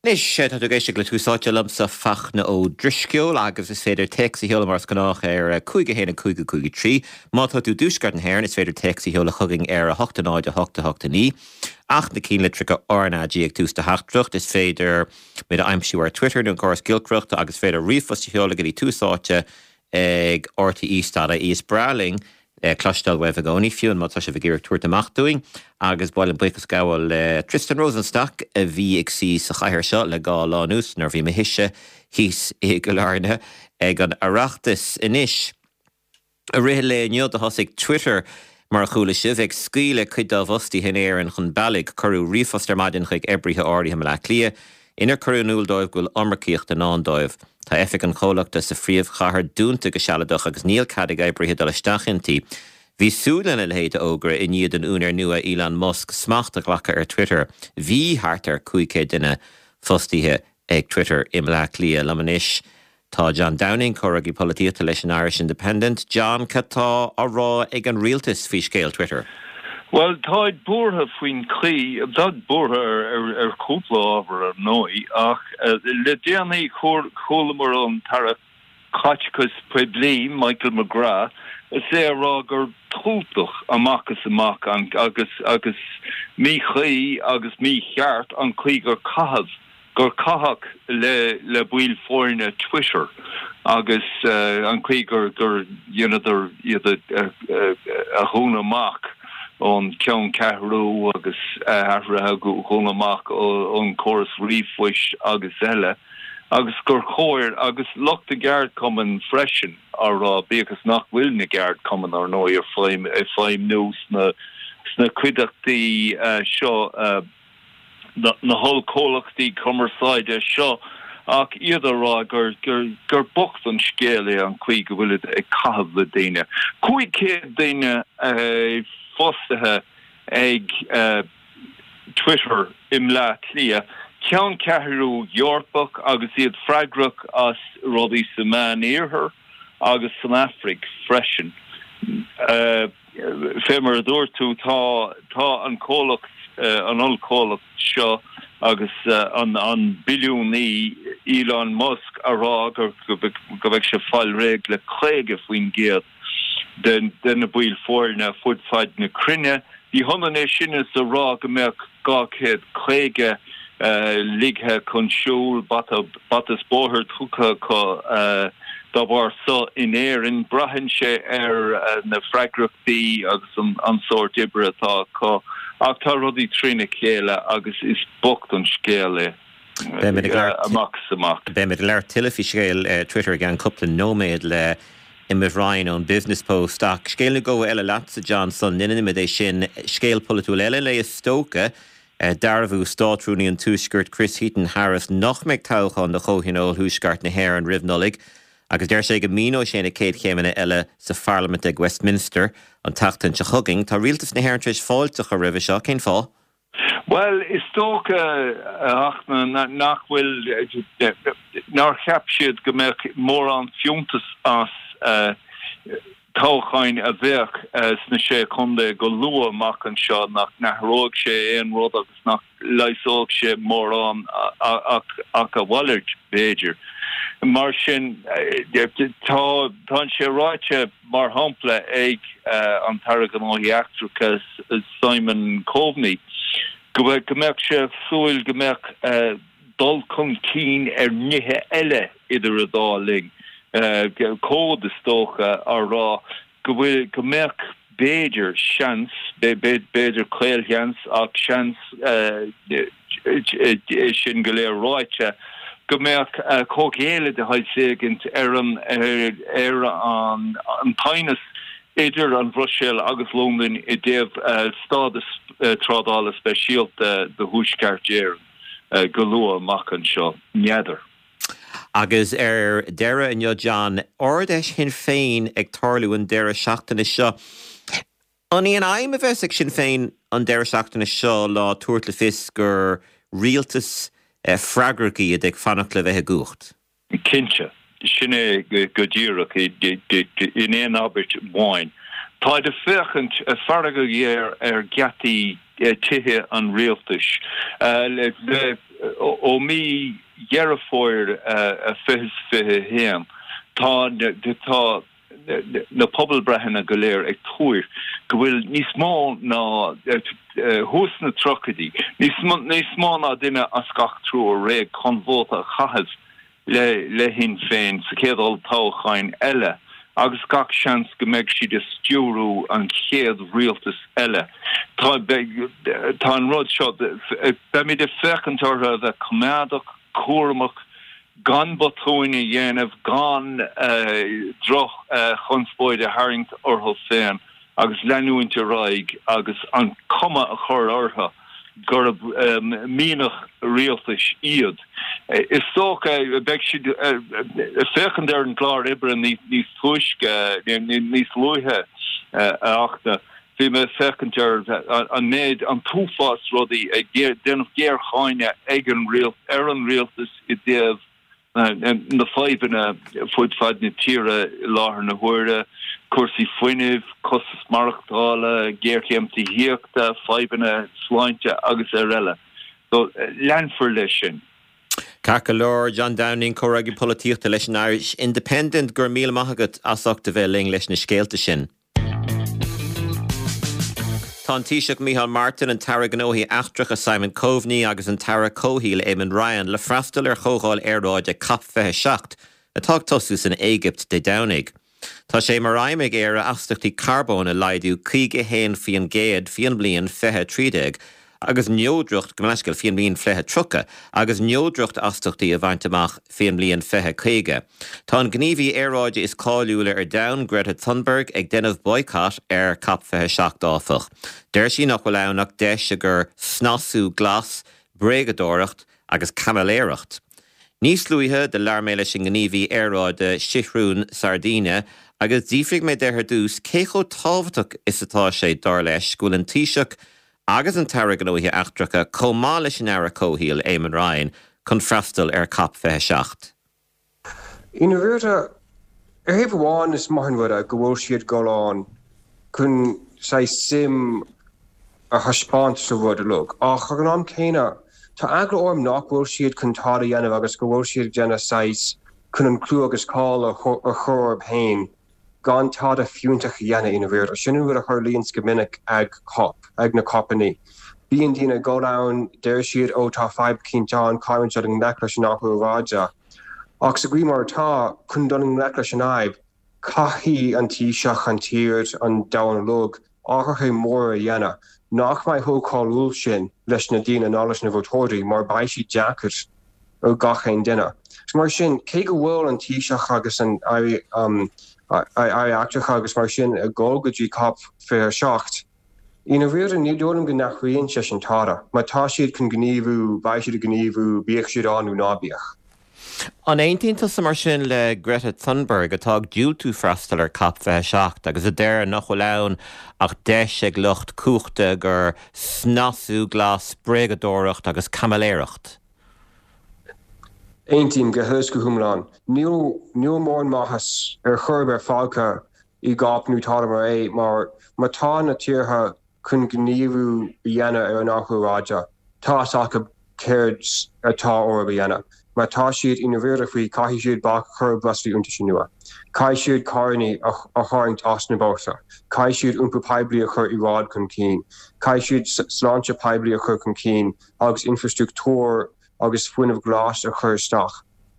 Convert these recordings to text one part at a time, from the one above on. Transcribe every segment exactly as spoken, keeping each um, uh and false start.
Anois tá tú ag éisteacht le Tús Áite liomsa Fachtna Ó Drisceoil agus is féidir téacs a sheoladh mar is gnách ar cúig a haon a cúig a cúig a trí. Má tá tú i dtuaisceart na hÉireann is féidir téacs a sheoladh chugainn ar a hocht a náid a hocht a hocht a naoi. Ach na cinnlitreacha RnaG ag tús do theachtaireacht is féidir muid a aimsiú ar Twitter nó an córas giolcaireachta agus féidir ríomhphost a sheoladh go dtí tús áite ag RTE dot ie is breá linn cloisteáil uaibh i gcónaí fiú má tá sibh ag iarraidh tabhairt amach dúinn agus ba mhaith liom buíochas a ghabháil le Tristan Rosenstock a bhí ag suí sa chathaoir seo le dhá lá anuas nuair a bhí mise thíos i gCill Airne ag an Oireachtas anois. I rith an lae inniu do thosaigh Twitter mar a chuala sibh ag scaoileadh cuid dá bhfostaithe in Éirinn chun bealaigh cuireadh ríomhphost ar maidin chuig oibrithe áirithe i mBaile Átha Cliath inar cuireadh in iúl dóibh go bhfuil iomarcaíocht i ndán dóibh. Tá oifig an chomhlachta sa phríomhchathair dúnta go sealadach agus níl cead ag oibrithe dul isteach inti. Bhí súil lena leithéid de fhógra i ndiaidh don úinéir nua Elon Musk smacht a ghlacadh ar Twitter. Bhí thart ar cúig chéad duine fostaithe ag Twitter i mBaile Átha Cliath liom anois. Tá John Downing comhfhreagraí polaitíochta leis an Irish Independent. John cad tá á rá ag an rialtas faoi scéal Twitter. Well táid buartha faoin chaoi táid buartha ar ar cúpla ábhar ar ndóigh ach le déanaí chualamar an tAire Caiteachais Poiblí Michael McGrath is é a rá gur túltach amach is amach an agus agus míchuí agus mícheart an chaoi gur caitheamh gur caitheadh le le baill foirne Twitter agus uh, an chaoi gur gur dheineadar iad a, a, a dhúnadh amach ón ceanncheathrú agus athraithe dhúnadh amach ón córas ríomhphoist agus eile agus gur chóir agus lucht na gceardchumann freisin á rá bíodh is nach bhfuil na ceardchumainn ar ndóigh ar feidhm ag feidhmiú sna sna cuideachtaí uh, seo uh, na, na hollchomhlachtaí cumarsáide seo ach iad a rá gur gur gur bocht an scéal é an chaoi go bhfuil ag caitheamh le daoine. Cúig chéad daoine uh, fostaithe ag uh, Twitter i mBleá Cliath, ceanncheathrú Eorpach agus iad freagrach as rudaí sa Meánoirthear agus san Afraic freisin. Uh, Fé mar a dúirt tú tá tá an comhlacht uh, an ollchomhlacht seo agus uh, an an billiúnaí Elon Musk a rá gur go mbeidh sé fáil réidh le caoga faoin gcéad den de na baill foirne fud fad na cruinne. Ní hionann é sin is a rá go mbeadh dhá chéad caoga ligthe chun siúil bata bata is bóthar tugtha acu dá bharr so in Éirinn braitheann sé ar na freagrachtaí agus an an sórt oibre atá acu ach tá rudaí trína chéile agus is bocht an scéal é. Amach is amach. Beimid ag labhairt tuilleadh faoi scéal Twitter i gceann cúpla nóiméad le Emmet Ryan ón Business Post ach scéal nó dhó eile leatsa John sula ndéanaimid é sin scéal polaitiúil eile le is dócha dearbhú Státrúnaí an Tuaiscirt Chris Heaton Harris nach mbeidh toghchán do Chomhthionól Thuaisceart na hÉireann roimh Nollaig agus deir sé go míneoidh sé na céad chéimeanna eile sa Pharlaimint ag Westminster an tseachtain seo chugainn. Tá rialtas na hÉireann tar éis fáilte a chur roimhe seo cén fáth? Well is dócha ach nach bhfuil nár cheap siad go mbeadh mórán fiúntas as uh, toghcháin a bheadh uh, sna sé chontae go luath amach anseo nach n-athródh sé aon rud agus nach leigheasódh sé mórán ach ach a mhalairt b'fhéidir. Mar sin tá tá sé ráite mar shampla ag uh, an tAire Gnóthaí Eachtracha Simon Coveney go go mbeadh sé súil go mbeadh uh, dul chun cinn ar nithe eile idir an dá linn. Uh, cód is dócha á rá go bhfuil go mbeadh b'fhéidir seans b'fhéidir caolsheans ach seans é sin go léir ráite go mbeadh comhghéilleadh de shaghas éigint ar an ar an an teannas idir an Bhruiséil agus Londain i dtaobh stádas trádála speisialta do Thuaisceart Éireann go luath amach anseo n'fheadar. Agus ar deireadh inniu John, Ard-Fheis Shinn Féin ag tarlú an deireadh seachtaine seo. An í an aidhm a bheas ag Sinn Féin an deireadh seachtaine seo le tabhairt le fios gur rialtas freagrach iad ag fanacht le bheith i gcumhacht? Cinnte, sin é go díreach in aon abairt amháin. Táid ag féachaint fearg ghéar ar gheataí tithe an rialtais le ó mí Dheireadh Fómhair fiche fiche a haon tá tá na pobalbreitheanna go léir ag tuar go bhfuil níos mó ná thuas sna tríochaidí, níos mó ná duine as gach triúr réidh chun vóta a chaitheamh le le Shinn Féin sa chéad olltoghchán eile agus gach seans go mbeidh siad ag stiúrú an chéad rialtas eile. Tá tá an rud seo beimid ag féachaint orthu a bheith coimeádach, cúramach, gan botúin a dhéanamh, gan droch-chonspóid a tharraingt orthu féin agus leanúint ar aghaidh agus an cuma a chur orthu gurb mianach rialtais iad. Is dócha beidh siad ag féachaint ar an gclár oibre níos túisce, níos luaithe a Fhachtna. Bhí mé ag féachaint ar an méid, an t-uafás rudaí ag déanamh géarcháineadh ag an ar an rialtas i dtaobh na fadhbanna fud fad na tíre i láthair na huaire, cúrsaí fuinnimh, costas maireachtála, géarchéim tithíochta, fadhbanna sláinte agus ar eile. So leanfar leis sin. Ceart go leor, John Downing, Comhfhreagraí Polaitíochta leis an Irish Independent, go raibh míle maith agat as ucht a bheith linn leis na scéalta sin. Tá an Taoiseach Micheál Martin, an tAire Gnóthaí Eachtracha Simon Coveney agus an tAire Comhshaoil Eamon Ryan le freastal ar chomhdháil aeráide Cop fiche a seacht atá ag tosú san Éigipt Dé Domhnaigh. Tá sé mar aidhm ag Éire astaíochtaí carbóin a laghdú caoga a haon faoin gcéad faoin mbliain fiche trí déag agus neodracht, gabh mo leithscéal, faoin mbliain fiche tríocha agus neodracht astaíochtaí a bhaint amach faoin mbliain fiche caoga. Tá an gníomhaí aeráide is cáiliúla ar domhan, Greta Thunberg, ag déanamh boycott ar Cop fiche a seacht áfach. Deir sí nach bhfuil ann ach deis i gcomhair snasú glas, bréagadóireacht agus caimiléireacht. Níos luaithe do labhair mé leis an ngníomhaí aeráide Seathrún Sardina agus d'fhiafraigh mé de ar dtús cé chomh tábhachtach is atá sé dar leis go bhfuil an Taoiseach agus an tAire Gnóthaí Eachtracha chomh maith leis an Aire Comhshaoil Eamon Ryan chun freastal ar Cop fiche a seacht. I ndáiríre, ar thaobh amháin is maith an rud é go bhfuil siad ag dul ann chun saghas suim a thaispeáint sa rud uilig, ach ag an am céanna tá eagla orm nach bhfuil siad chun tada a dhéanamh agus go bhfuil siad ag déanamh saghas chun an clú agus cáil a chur orthu féin gan tada fiúntach a dhéanamh i ndáiríre. Sin an rud a tharlaíonns go minic ag cop, ag na copannaí. Bíonn daoine ag dul ann, deir siad ó tá fadhb eicínt ann, caithfimid dul i ngleic leis an athrú aeráide. Ach sa gcaoi mar atá, chun dul i ngleic leis an fhadhb, caithfidh an Taoiseach, an tír, an domhan uilig, athruithe móra a dhéanamh, nach mbeidh chomh cáiliúil sin leis na daoine ná leis na vótóirí mar beidh siad deacair ar gach aon duine. Mar sin, cé go bhfuil an Taoiseach agus an Aire Eachtracha agus mar sin ag dul go dtí Cop fiche a seacht, i ndáiríre ní dóigh liom go n-athraíonn sé sin tada. Má tá siad chun gníomhú, beidh siad ag gníomhú, bíodh siad ann nó ná bíodh. An aontaíonn tusa mar sin le Greta Thunberg atá ag diúltú freastal ar Cop fiche a seacht agus a deir nach bhfuil ann ach deis ag lucht cumhachta i gcomhair snasú glas, bréagadóireacht agus caimiléireacht? Aontaím go huile is go hiomlán. Níl níl mórán maitheas ar chor ar bith fágtha i gCOP nó tada mar é mar má tá na tíortha chun gníomhú a dhéanamh ar an athrú aeráide, tá a fhios acu céard atá orthu a dhéanamh. Má tá siad i ndáiríre faoi, caithfidh siad bac a chur ar breoslaí iontaise nua. Caithfidh siad carranna a tharraingt as na bóithre. Caithfidh siad iompar poiblí a chur i bhfad chun cinn. Caithfidh siad sláinte poiblí a chur chun cinn agus infrastruchtúr agus fuinneamh glas a chur isteach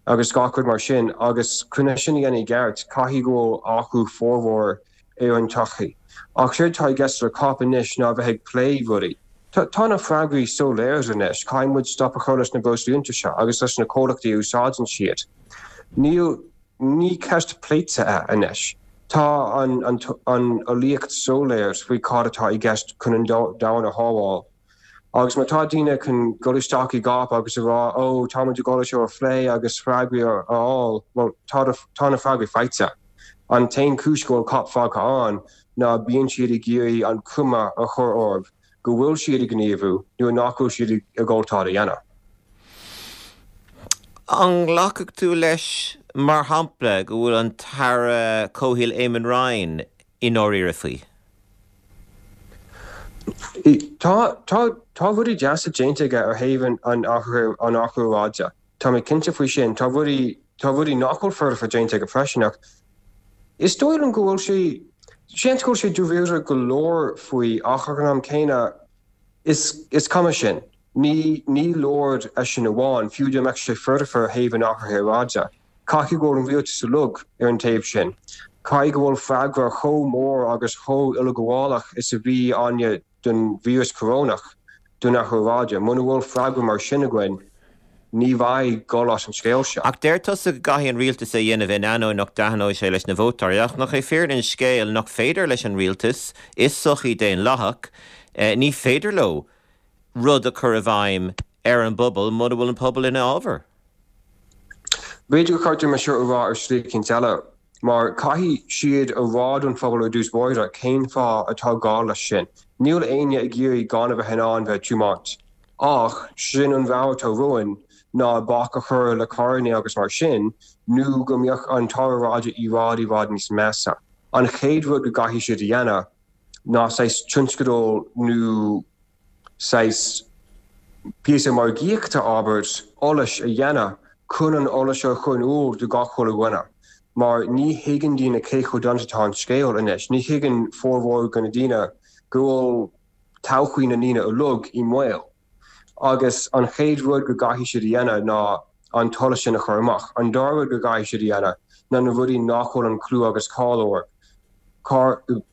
agus gach rud mar sin. Agus chun é sin a dhéanamh i gceart, caithfidh go bhfuil athrú formhór ar an tsochaí. Ach séard atá i gceist le cop anois ná bheith ag plé rudaí. Tá na freagraí soiléir anois, caithfidh muid stop a chur leis na breoslaí iontaise agus leis na comhlachtaí a úsáideann siad. Níl, ní ceist pléite é anois. Tá an an eolaíocht soiléir faoi cad atá i gceist chun an domhan a shábháil. Agus má tá daoine chun dul isteach i gcop agus a rá ó tá muid ag dul é seo a phlé agus freagraí a fháil, bhuel tá tá na freagraí faighte. An t-aon chúis go bhfuil cop fágtha ann ná bíonn siad ag iarraidh an chuma a chur orthu go bhfuil siad ag gníomhú nuair nach bhfuil siad ag dul tada a dhéanamh. An nglacfadh tú leis, mar shampla, go bhfuil an tAire Comhshaoil Eamon Ryan i ndáiríre faoi? Tá tá tá rudaí deasa déanta aige ar thaobh an athrú an athrú aeráide. Tá mé cinnte faoi sin tá rudaí tá rudaí nach bhfuil foirfe déanta aige freisin ach is dóigh liom go bhfuil sé seans go bhfuil sé dáiríre go leor faoi ach ag an am céanna is is cuma sin. Ní ní leor é sin amháin fiú dá mbeadh sé foirfe ar thaobh an athraithe aeráide. Caithfidh go bhfuil an rialtas uilig ar an taobh sin. Caithfidh go bhfuil freagra chomh mór agus chomh uileghabhálach is a bhí againne don víreas corónach don athrú aeráide. Muna bhfuil freagra mar sin againn, ní bheidh dul as an scéal seo. Ach deir tusa go gcaithfidh an rialtas é a dhéanamh in ainneoin nach dtaitneoidh sé leis na vótóirí, ach nach é fírinne an scéil nach féidir leis an rialtas, is sochaí daonlathach, ní féidir leo rud a chur i bhfeidhm ar an bpobal muna bhfuil an pobal ina fhabhar? B'fhéidir gur cheart dom é seo a rá ar shlí eicínt eile, mar caithfidh siad a rá don phobal ar dtús báire cén fáth atá gá leis sin. Níl éinne ag iarraidh gan a bheith in ann bheith ag tiomáint. Ach sin an rogha atá romhainn ná bac a chur le carranna agus mar sin, nó go mbeadh an t-athrú aeráide i bhfad i bhfad níos measa. An chéad rud go gcaithfidh siad a dhéanamh ná saghas tionscadal nó saghas píosa margaíochta, abair, eolais a dhéanamh chun an eolas seo a chur in iúl do gach chuile dhuine, mar ní thuigeann daoine cé chomh dona atá an scéal anois. Ní thuigeann formhór de na daoine go bhfuil todhchaí na ndaoine uilig i mbaol. Agus an chéad rud go gcaithfidh siad a dhéanamh ná an t-eolas sin a chur amach. An dara rud go gcaithfidh siad a dhéanamh ná na rudaí nach bhfuil an clú agus cáil orthu,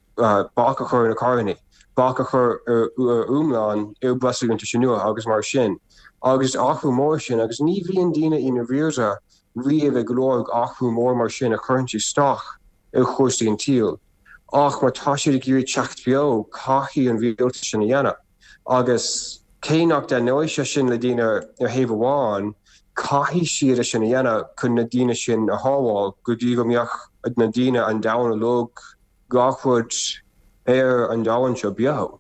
bac a chur ar na carranna, bac a chur ar iomlán ar breosla iontaise nua agus mar sin. Agus athrú mór sin agus ní bhíonn daoine i ndáiríre riamh ag lorg athrú mór mar sin a chuireann isteach ar chúrsaí an tsaoil. Ach má tá siad ag iarraidh teacht beo, caithfidh an rialtas sin a dhéanamh. Agus cé nach dtaitneoidh sé sin le daoine ar thaobh amháin, caithfidh siad é sin a dhéanamh chun na daoine sin a shábháil go dtí go mbeadh na daoine, an domhan uilig, gach rud ar an domhan seo beo.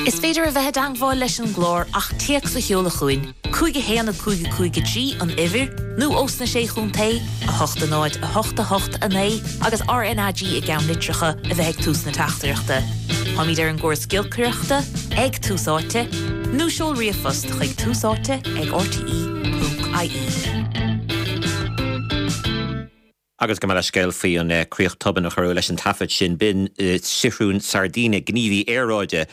Is féidir a bheith i dteagmháil leis an gclár ach téacs a sheoladh chugainn, cúig a haon a cúig a cúig a trí an uimhir, nó ós na Sé Chontae, a hocht a náid a hocht a hocht a naoi agus RnaG i gceannlitreacha a bheith ag tús na teachtaireachta. Táimid ar an gcóras giolcaireachta ag Tús Áite, nó seol ríomhphost chuig túsáite ag rte ponc ie. Agus gabh mo leithscéal faoi an críoch tobann a cuireadh leis an taifead sin. B'in Sigrún Sardina, gníomhaí aeráide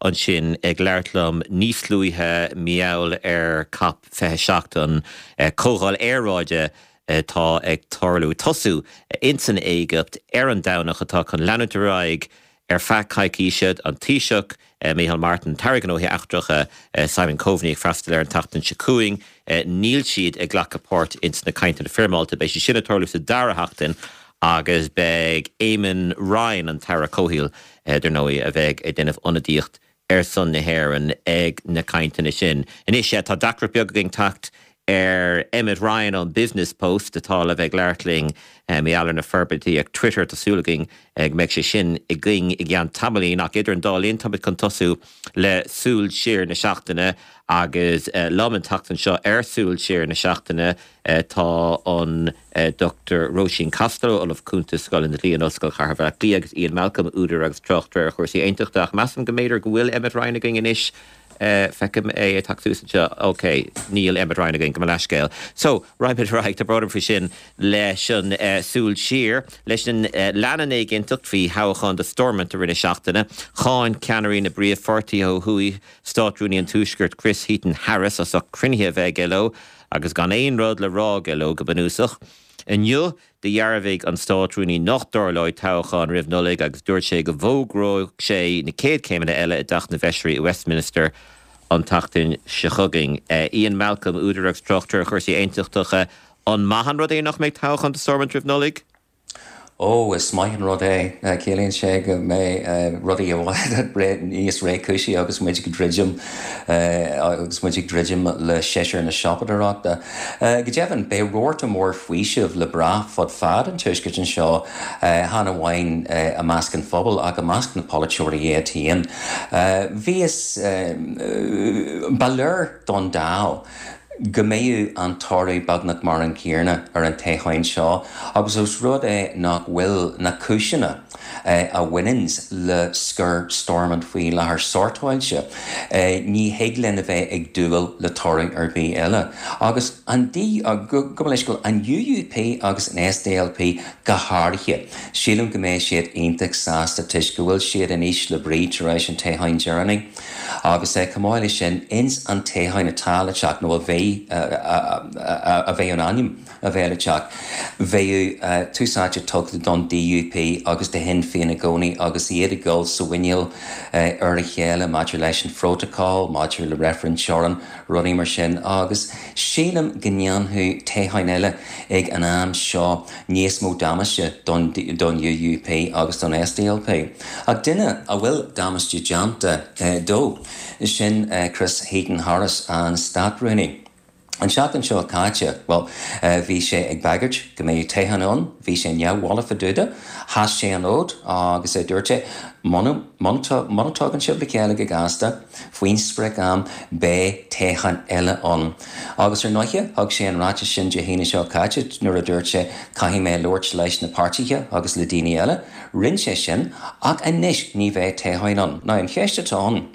ansin ag labhairt liom níos luaithe mar gheall ar Cop fiche seacht, an comhdháil aeráide atá ag tarlú, tosú insan Éigipt ar an Domhnach atá chun leanúint ar aghaidh ar feadh coicíse, an Taoiseach Micheál Martin, tAire Gnóthaí Eachtracha Simon Coveney ag freastal air an tseachtain seo chugainn. Níl siad ag glacadh páirt ins na cainteanna foirmeálta, beidh sé sin ag tarlú sa dara sheachtain agus beidh Eamon Ryan, an tAire Comhshaoil, dar ndóigh, a bheidh ag déanamh ionadaíocht ar son na hÉireann ag na cainteanna sin. Anois, tá deacracht beag againn teacht ar Emmet Ryan ón Business Post atá le bheith ag labhairt linn mar gheall ar na forbairtí ag Twitter. Tá súil againn go mbeidh sé sin againn i gceann tamaillín ach idir an dá linn táimid chun tosú le Súil Siar na Seachtaine agus liom an tseachtain seo ar Súil Siar na Seachtaine tá an Dochtúir Róisín Costello, Ollamh Cúnta Scoil an Dlí in Ollscoil Chathair Bhaile Átha Cliath agus Ian Malcolm, údar agus tráchtaire ar chúrsaí aontachta ach measaim go mb'fhéidir go bhfuil Emmet Ryan againn anois. Feicim é ag teacht suas anseo. Ok, níl Emmet Ryan againn, gabh mo leithscéal. So, raghaimid ar aghaidh, tá brón orm faoi sin, leis an súil siar, leis an lean an éiginnteacht faoi thoghchán do Stormont i rith na seachtaine. Cháin ceannairí na bpríomhpháirtithe ó thuaidh Státrúnaí an Tuaiscirt Chris Heaton-Harris as ucht cruinnithe a bheith aige leo agus gan aon rud le rá aige leo go bunúsach. Inniu, dhearbhaigh an Státrúnaí nach dtarlóidh toghchán roimh Nollaig agus dúirt sé go bhfógróidh sé na chéad chéimeanna eile i dTeach na bhFeisirí i Westminster an tseachtain seo chugainn. Ian Malcolm, údar agus tráchtaire ar chúrsaí aontachtacha, an maith an rud é nach mbeidh toghchán do Stormont roimh Nollaig? Ó, is maith an rud é. Ciallaíonn sé go mbeidh rudaí i bhfad níos réchúisí agus muid ag druidim agus muid ag druidim le séasúr na siopadóireachta. Go deimhin, beidh rabharta mór faoisimh le brath fud fad an tuaiscirt anseo, chan amháin i measc an phobail ach i measc na polaiteoirí iad féin. Bhíos, ba léir don dall, go mbeidh an toradh beagnach mar an céanna ar an toghchán seo agus os rud é nach bhfuil na cúiseanna a bhaineanns le scor Stormont faoi láthair sórtáilte, ní thig linn a bheith ag dúil le toradh ar bith eile. Agus an D, gabh mo leithscéal, an UUP agus an SDLP go háirithe, sílim go mbeidh siad iontach sásta toisc go bhfuil siad in ísle brí tar éis an toghcháin deireanaigh agus chomh maith leis sin ins an toghchán atá le teacht nó a bheidh a bheidh in ainm a bheith le teacht, bheadh tús áite tugtha don DUP agus do Shinn Féin i gcónaí agus iad ag dul sa mhuiníl ar a chéile maidir leis an phrótacal, maidir le reifreann teorann, rudaí mar sin agus sílim go ndéanfadh toghchán eile ag an am seo níos mó damáiste don don UUP agus don SDLP. Ach duine a bhfuil damáiste déanta dó, sin Chris Heaton-Harris, an Státrúnaí. An tseachtain seo caite, bhuel, bhí sé ag bagairt go mbeadh toghchán ann, bhí sé neamhbhalbh fá dtaobh de, sheas sé an fhód agus dúirt sé, muna dtagann sibh le chéile go gasta, faoin sprioc-am, beidh toghchán eile ann. Agus ar ndóighe, thug sé an ráiteas sin Dé hAoine seo caite nuair a dúirt sé, caithfidh mé labhairt leis na páirtithe agus le daoine eile. Rinne sé sin, ach anois ní bheidh toghchán ann. Now, an cheist atá ann,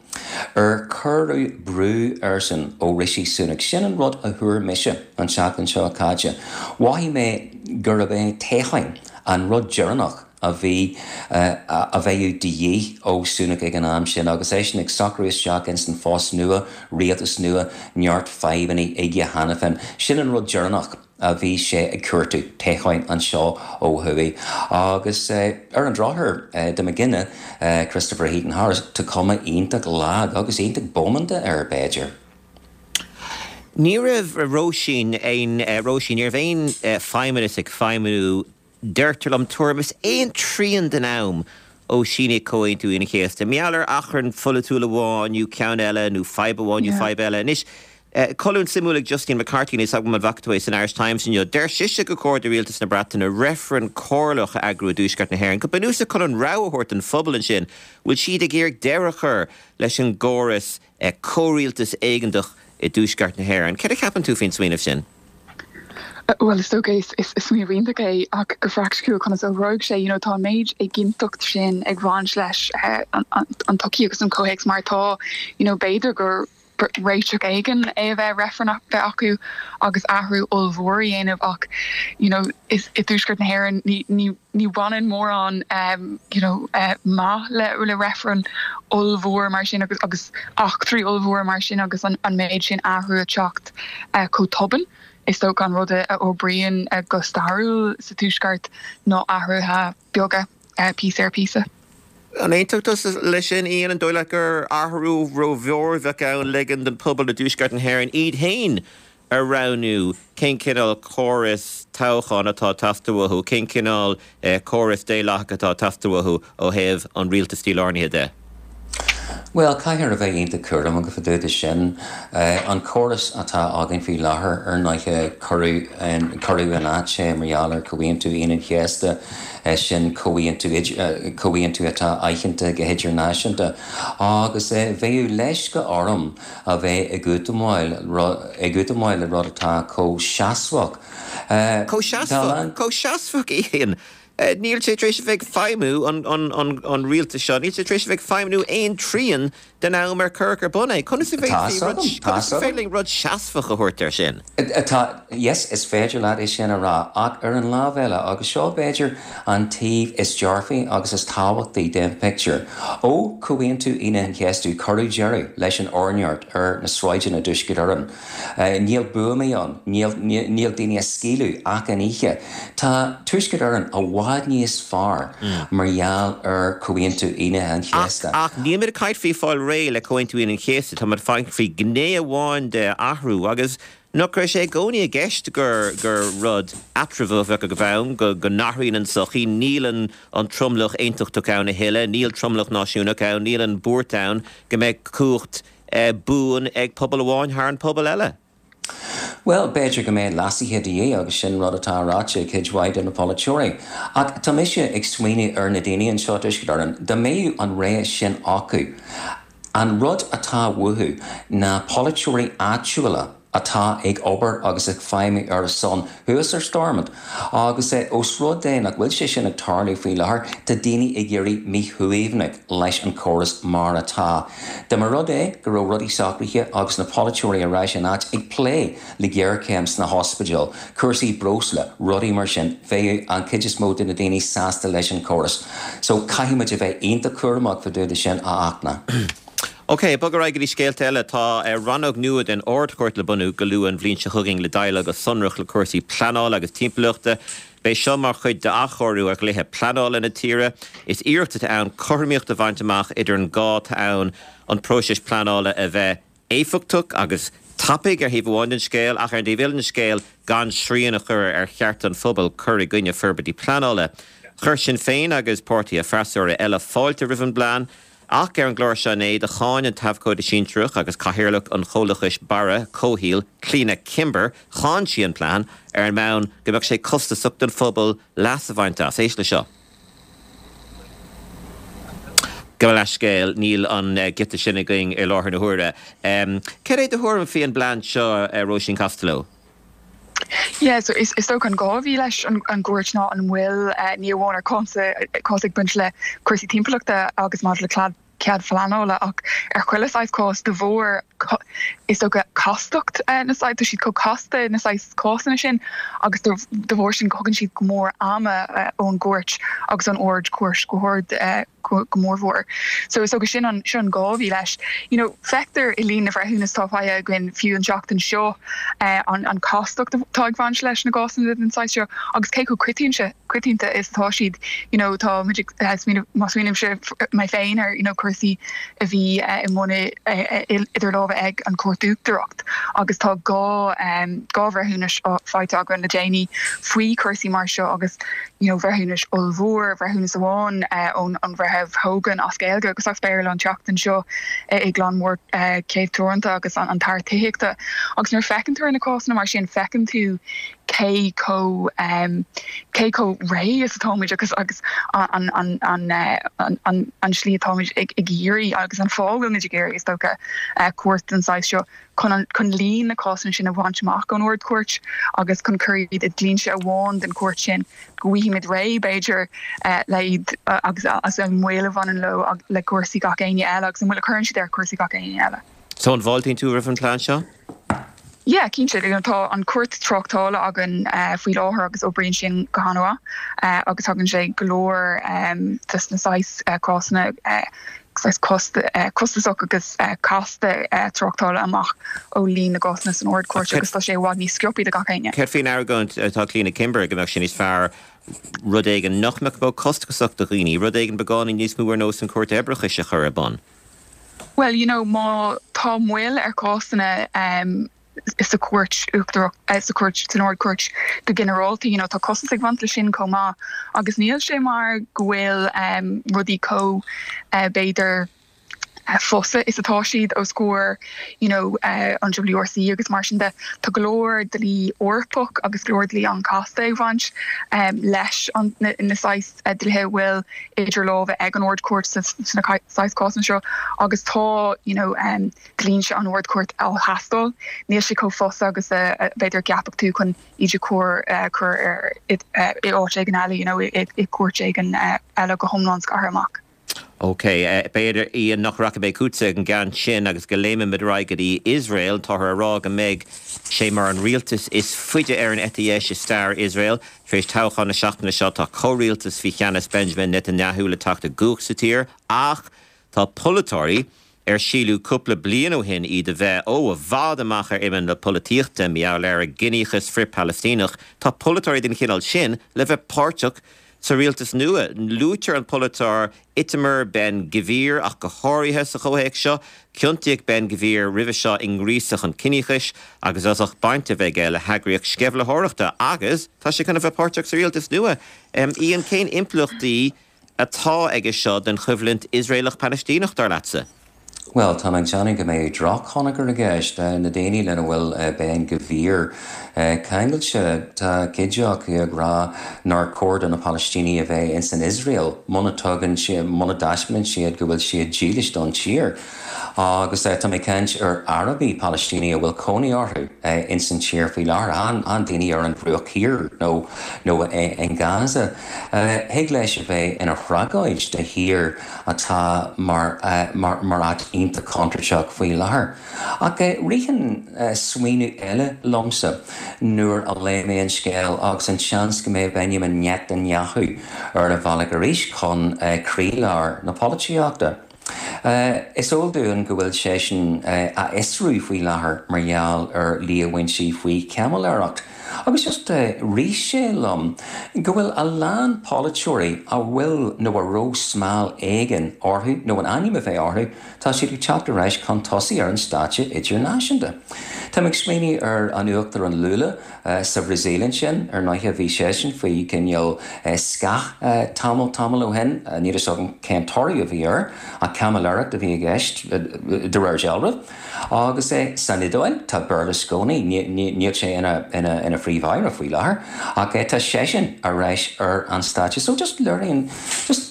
Ar cuireadh brú airsean ó Rishi Sunak? Sin an rud a thuar mise an tseachtain seo caite. Mhothaigh mé gurb é toghchán an rud deireanach a bhí a bheadh de dhíth ó Sunak ag an am sin agus eisean ag socrú isteach ins an phost nua, rialtas nua, neart fadhbanna aige cheana féin. Sin an rud deireanach. a bhí sé ag cuartú, toghcháin anseo ó thuaidh. Agus ar an drochuair, dá mba dhuine Christopher Heaton-Harris, tá cuma iontach lag agus iontach bómánta air, b'fhéidir. Ní raibh Róisín aon Róisín, ní raibh aon feidhmeannas ag feidhmiú deirtear liom tuairim is aon trian den am ó síníodh Comhaontú Aoine an Chéasta. Mar gheall ar achrann pholaitiúil amháin nó ceann eile nó fadhb amháin nó fadhb eile. Anois, Colún suimiúil ag Justine McCarthy, níl 's agam an bhfaca tú é san Irish Times inniu. Deir sise gur chóir do rialtas na Breataine reifreann comhairleach a eagrú i dTuaisceart na hÉireann, go bunúsach chun an rogha a thabhairt don phobal ansin. Bhfuil siad ag iarraidh deireadh a chur leis an gcóras comhrialtas éigeantach i dTuaisceart na hÉireann? Céard a cheapann tú faoin smaoineamh sin? Bhuel, is dócha is smaoineamh iontach é ach go praiticiúil conas a oibreoidh sé? You know, tá an méid éiginnteacht sin ag baint leis an tsochaí agus an comhthéacs mar atá, you know, b'fhéidir gur réiteach éigin é a bheith reifreann a bheith acu agus athrú ollmhór a dhéanamh ach you know is i dtuaisceart na hÉireann ní ní ní bhaineann mórán um you know uh, maith le le reifreann ollmhór mar sin agus agus eachtraí ollmhór mar sin agus an an méid sin athrú a teacht uh, chomh tobann. Is dócha an rud a oibríonn uh, go stairiúil sa tuaisceart ná athruithe beaga uh, píosa ar píosa. An aontódh tusa leis sin, Ian, an dóigh leat gur athrú rómhór a bheadh ann ligean don phobal i dTuaisceart na hÉireann iad féin a roghnú cén cineál córas toghcháin atá ag teastáil uathu, cén cineál córas daonlathach atá ag teastáil uathu ó thaobh an rialtais dílárnaithe de? Bhuel, caithfear a bheith iontach cúramach fá dtaobh de sin. An córas atá againn faoi láthair, ar ndóighe, cuireadh cuireadh in áit é mar gheall ar Chomhaontú Aoine an Chéasta, sin comhaontú comhaontú atá aitheanta go hidirnáisiúnta. Agus bheadh leisce orm a bheith ag útamáil ag útamáil le rud atá chomh seasmhach. Chomh seasmhach, chomh seasmhach, Ian. Níl sé tar éis a bheith ag feidhmiú, an rialtas seo, níl sé tar éis a bheith ag feidhmiú aon trian den am ar cuireadh ar bun é. Conas a bhféadfaí rud, conas is féidir linn rud seasmhach a thabhairt air sin? Tá, yes, is féidir leat é sin a rá, ach ar an lámh eile, agus seo b'fhéidir an taobh is dearfaí agus is tábhachtaí den phictiúr, ó Chomhaontú Aoine an Chéasta cuireadh deireadh leis an orneart ar na sráideanna i dTuaisceart Éireann. Níl buamaí ann, níl, níl daoine á scaoileadh achan oíche. Tá Tuaisceart Éireann i bhfad níos fearr mar gheall ar Chomhaontú Aoine an Chéasta. Ach, ach nílimid ag caint faoi fáil réidh le Comhaontú Aoine an Chéasta, táimid ag caint faoi ghné amháin de athrú agus nach raibh sé i gcónaí i gceist gur, gur rud eatramhach a bheadh ann, go, go n-athraíonn an tsochaí, níl an, an tromlach aontachtach ann a thuilleadh, níl tromlach náisiúnach ann, níl an bhuairt ann go mbeidh cumhacht buan ag pobal amháin thar an pobal eile. Bhuel, b'fhéidir go mbeidh leasuithe de dhíth agus sin rud atá ráite ag cuid mhaith de na polaiteoirí. Ach tá mise ag smaoineamh ar na daoine anseo i dTuaisceart Éireann, dá mbeadh an rogha sin acu, an rud atá uathu ná polaiteoirí áitiúla atá ag obair agus ag feidhmiú ar a son thuas ar Stormont. Agus é os rud é nach bhfuil sé sin ag tarlú faoi láthair tá daoine ag éirí míshuaimhneach leis an córas mar atá. Dá mba rud é go raibh rudaí socraithe agus na polaiteoirí ar ais in áit ag plé le géarchéim sna hospidéil, cúrsaí breosla, rudaí mar sin, bheadh an chuid is mó de na daoine sásta leis an córas. So caithfimid a bheith iontach cúramach fá dtaobh de sin a Fhachtna. Ok, bog ar aghaidh go dtí scéalta eile. Tá rannóg nua den Ard-Chúirt le bunú go luath an bhliain seo chugainn le déileáil go sonrach le cúrsaí pleanála agus timpeallachta. Beidh seo mar chuid d'athchóiriú ar dhlíthe pleanála na tíre. Is iarracht atá ann cothromaíocht a bhaint amach idir an gá atá ann an próiseas pleanála a bheith éifeachtach agus tapaidh ar thaobh amháin den scéal ach ar an dtaobh eile den scéal gan srian a chur ar cheart an phobail cur i gcoinne forbairtí pleanála. Chuir Sinn Féin agus páirtithe freasúra eile fáilte roimh an bplean. Ach ar an gclár seo inné do cháin an t-abhcóide sinsearach agus cathaoirleach an chomhlachais Barra Comhshaoil, Clíona Kimber, cháin sí an plean ar an mbonn go mbeadh sé costasach don phobal leas a bhaint as. Éist le seo. Gabh mo leithscéal, níl an giota sin againn i láthair na huaire. Cad é do thuairim faoi an bplean seo, Róisín Costello? Yeah, so is is dócha an gá a bhí leis an an gcúirt ná an bhfuil ní amháin ar cás cás ag baint le cúrsaí timpeallachta agus maidir le cead cead pleanála ach ar chuile saghas cás de bharr is dócha castacht na saghas tá siad chomh casta na saghas cásanna sin agus de bharr sin thugann siad go mór ama ón gcúirt agus ón Ard-Chúirt go hard go mórmhór. So is dócha sin an sin an gá a bhí leis. You know, feictear i líon na bhreithiúnas atá faighte againn fiú an tseachtain seo eh, an, an castacht atá ag baint leis na gcásanna den saghas seo agus cé chomh coitianta coitianta is atá siad you know, tá muid ag eh, smaoineamh má smaoinímse mé féin ar you know, cúrsaí a bhí eh, i mbun idir lámha ag an Chúirt Uachtarach agus tá dhá um, dhá bhreithiúnas faighte againn le déanaí faoi chúrsaí mar seo agus you know, bhreithiúnas ollmhór bhreithiúnas amháin uh, ón an Bhreitheamh Hogan as Gaeilge agus as Béarla an tseachtain seo uh, i gClann Mór uh, Céibh Teoranta agus an, an tAire Tithíochta. Agus nuair feiceann tú na cásanna mar sin feiceann tú cé chomh um, cé chomh réidh is atáimid agus agus an an an an an an slí atáimid ag ag iarraidh agus an fáth a bhfuilimid ag iarraidh is dócha uh, cúirt den saghas seo chun an chun líon na cásanna sin a bhaint amach ón Ard-Chúirt agus chun cur iad i dlínse amháin den chúirt sin go bhfaighimid réidh b'fhéidir uh, le iad uh, agus as an moill a bhaineann leo le cúrsaí gach éinne eile agus an bhfuil a chuireann siad ar cúrsaí gach éinne eile. So an bhfáiltíonn tú roimh an plean seo? Yeah, cinnte tá an cúirt tráchtála againn uh, faoi láthair agus oibríonn sin go han-mhaith uh, agus tagann sé go leor um, des na saghas uh, cásanna uh, cost uh, costasach agus uh, casta uh, tráchtála amach ó líon na gcásanna san Ard-Chúirt agus tá sé i bhfad níos sciobtha do gach éinne. Céard faoin argóint atá Clíona Kimber go mbeadh sin níos fearr rud éigin nach mbeadh chomh costasach do dhaoine, rud éigin beagáinín níos mó ar nós an cúirt oibreachais a chur ar bun. Well, you know, má tá moill ar cásanna um, sa chúirt uachtarach eh, sa chúirt san Ard-Chúirt go ginearálta you know, tá costas ag baint le sin chomh maith agus níl sé mar go bhfuil um, rudaí chomh uh, b'fhéidir uh, fusa is atá siad os comhair you know, uh, an WRC agus mar sin de tá go leor dlí Eorpach agus go leor dlí an-chasta ag baint um, leis an na, na saghas uh, dlíthe bhfuil idir lámha ag an Ard-Chúirt sna saghas cásanna seo agus tá you know, um, dlínse an Ard-Chúirt á theastáil níl sé chomh fusa agus uh, b'fhéidir ceapadh tú chun iad chur uh, chur ar i áit éigin eile you know, i, i cúirt éigin uh, eile go hiomlán scartha amach. Ok, uh, b'fhéidir í nach racha bé cútsa an gan sin agus go léime mid ra go dtí Iosrael táthar á rá go mbeidh sé mar an rialtas is faide ar an eite dheis i stair Iosrael, Tar éis toghchán na seachtaine seo tá comhrialtas faoi cheannas Benjamin Netanyahu le teacht i gcumhacht sa tír, ach tá polaiteoirí ar síleadh cúpla bliain ó shin iad a bheith ó i bhfad amach ar imeall na polaitíochta mar gheall ar a gciníochas frith-Phalaistíneach, tá polaiteoirí den chineál sin le bheith páirteach sa rialtas nua. Luaitear an polaiteoir Itamar Ben Gvir ach go háirithe sa chomhthéacs seo, ciontaíodh Ben Gvir roimhe seo i ngríosadh an chiníochais agus as ucht baint a bheith aige le heagraíocht sceimhlitheoireachta agus tá sé chun a bheith páirteach sa rialtas nua. Um, Ian cén impleachtaí atá aige seo den choimhlint Iosraelach Palaistíneach dar leatsa. Well, tá ag déanamh go mbeidh drochthionchar i gceist na daoine lena bhfuil Ben Gvir ceangailte tá cuid acu ag rá nár chóir do na Palaistínigh a bheith in san Iosrael muna dtugann sé muna dtaispeánann siad go bhfuil siad dílis don tír. Agus tá mé ag caint ar Arabaigh Palaistínigh a bhfuil cónaí orthu in san tír faoi láthair an an daoine ar an Bhruach Thiar nó nó in Gaza. Thig leis a bheith ina thragóid do thír atá mar mar mar áit iontach contúirteach faoi láthair. Ach ritheann smaoineamh eile liomsa nuair a léigh mé an scéal agus an seans go mbeidh Benjamin Netanyahu ar a bhealach arís chun croílár na polaitíochta. Is eol dúinn go bhfuil seisean á fhiosrú faoi láthair mar gheall ar líomhaintí faoi chaimiléireacht. Agus just rith sé liom go bhfuil a lán polaiteoirí a bhfuil nó a raibh smál éigin orthu nó an ainm a bheith orthu, tá siad ag teacht ar ais chun tosaigh ar an stáitse idirnáisiúnta. Tá ag smaoineamh ar an Uachtarán Lula sa Bhrasaíl ansin ar ndóigh bhí seisean faoi cineál scáth tamall tamall ó shin, níl a fhios agam cén toradh a bhí air ach caimiléireacht a bhí i gceist de réir dealraimh. Agus é san Iodáil tá Berlusconi níl sé ina ina ina phríomh-aire faoi láthair ach tá seisean ar ais ar an stáitse. So just learning just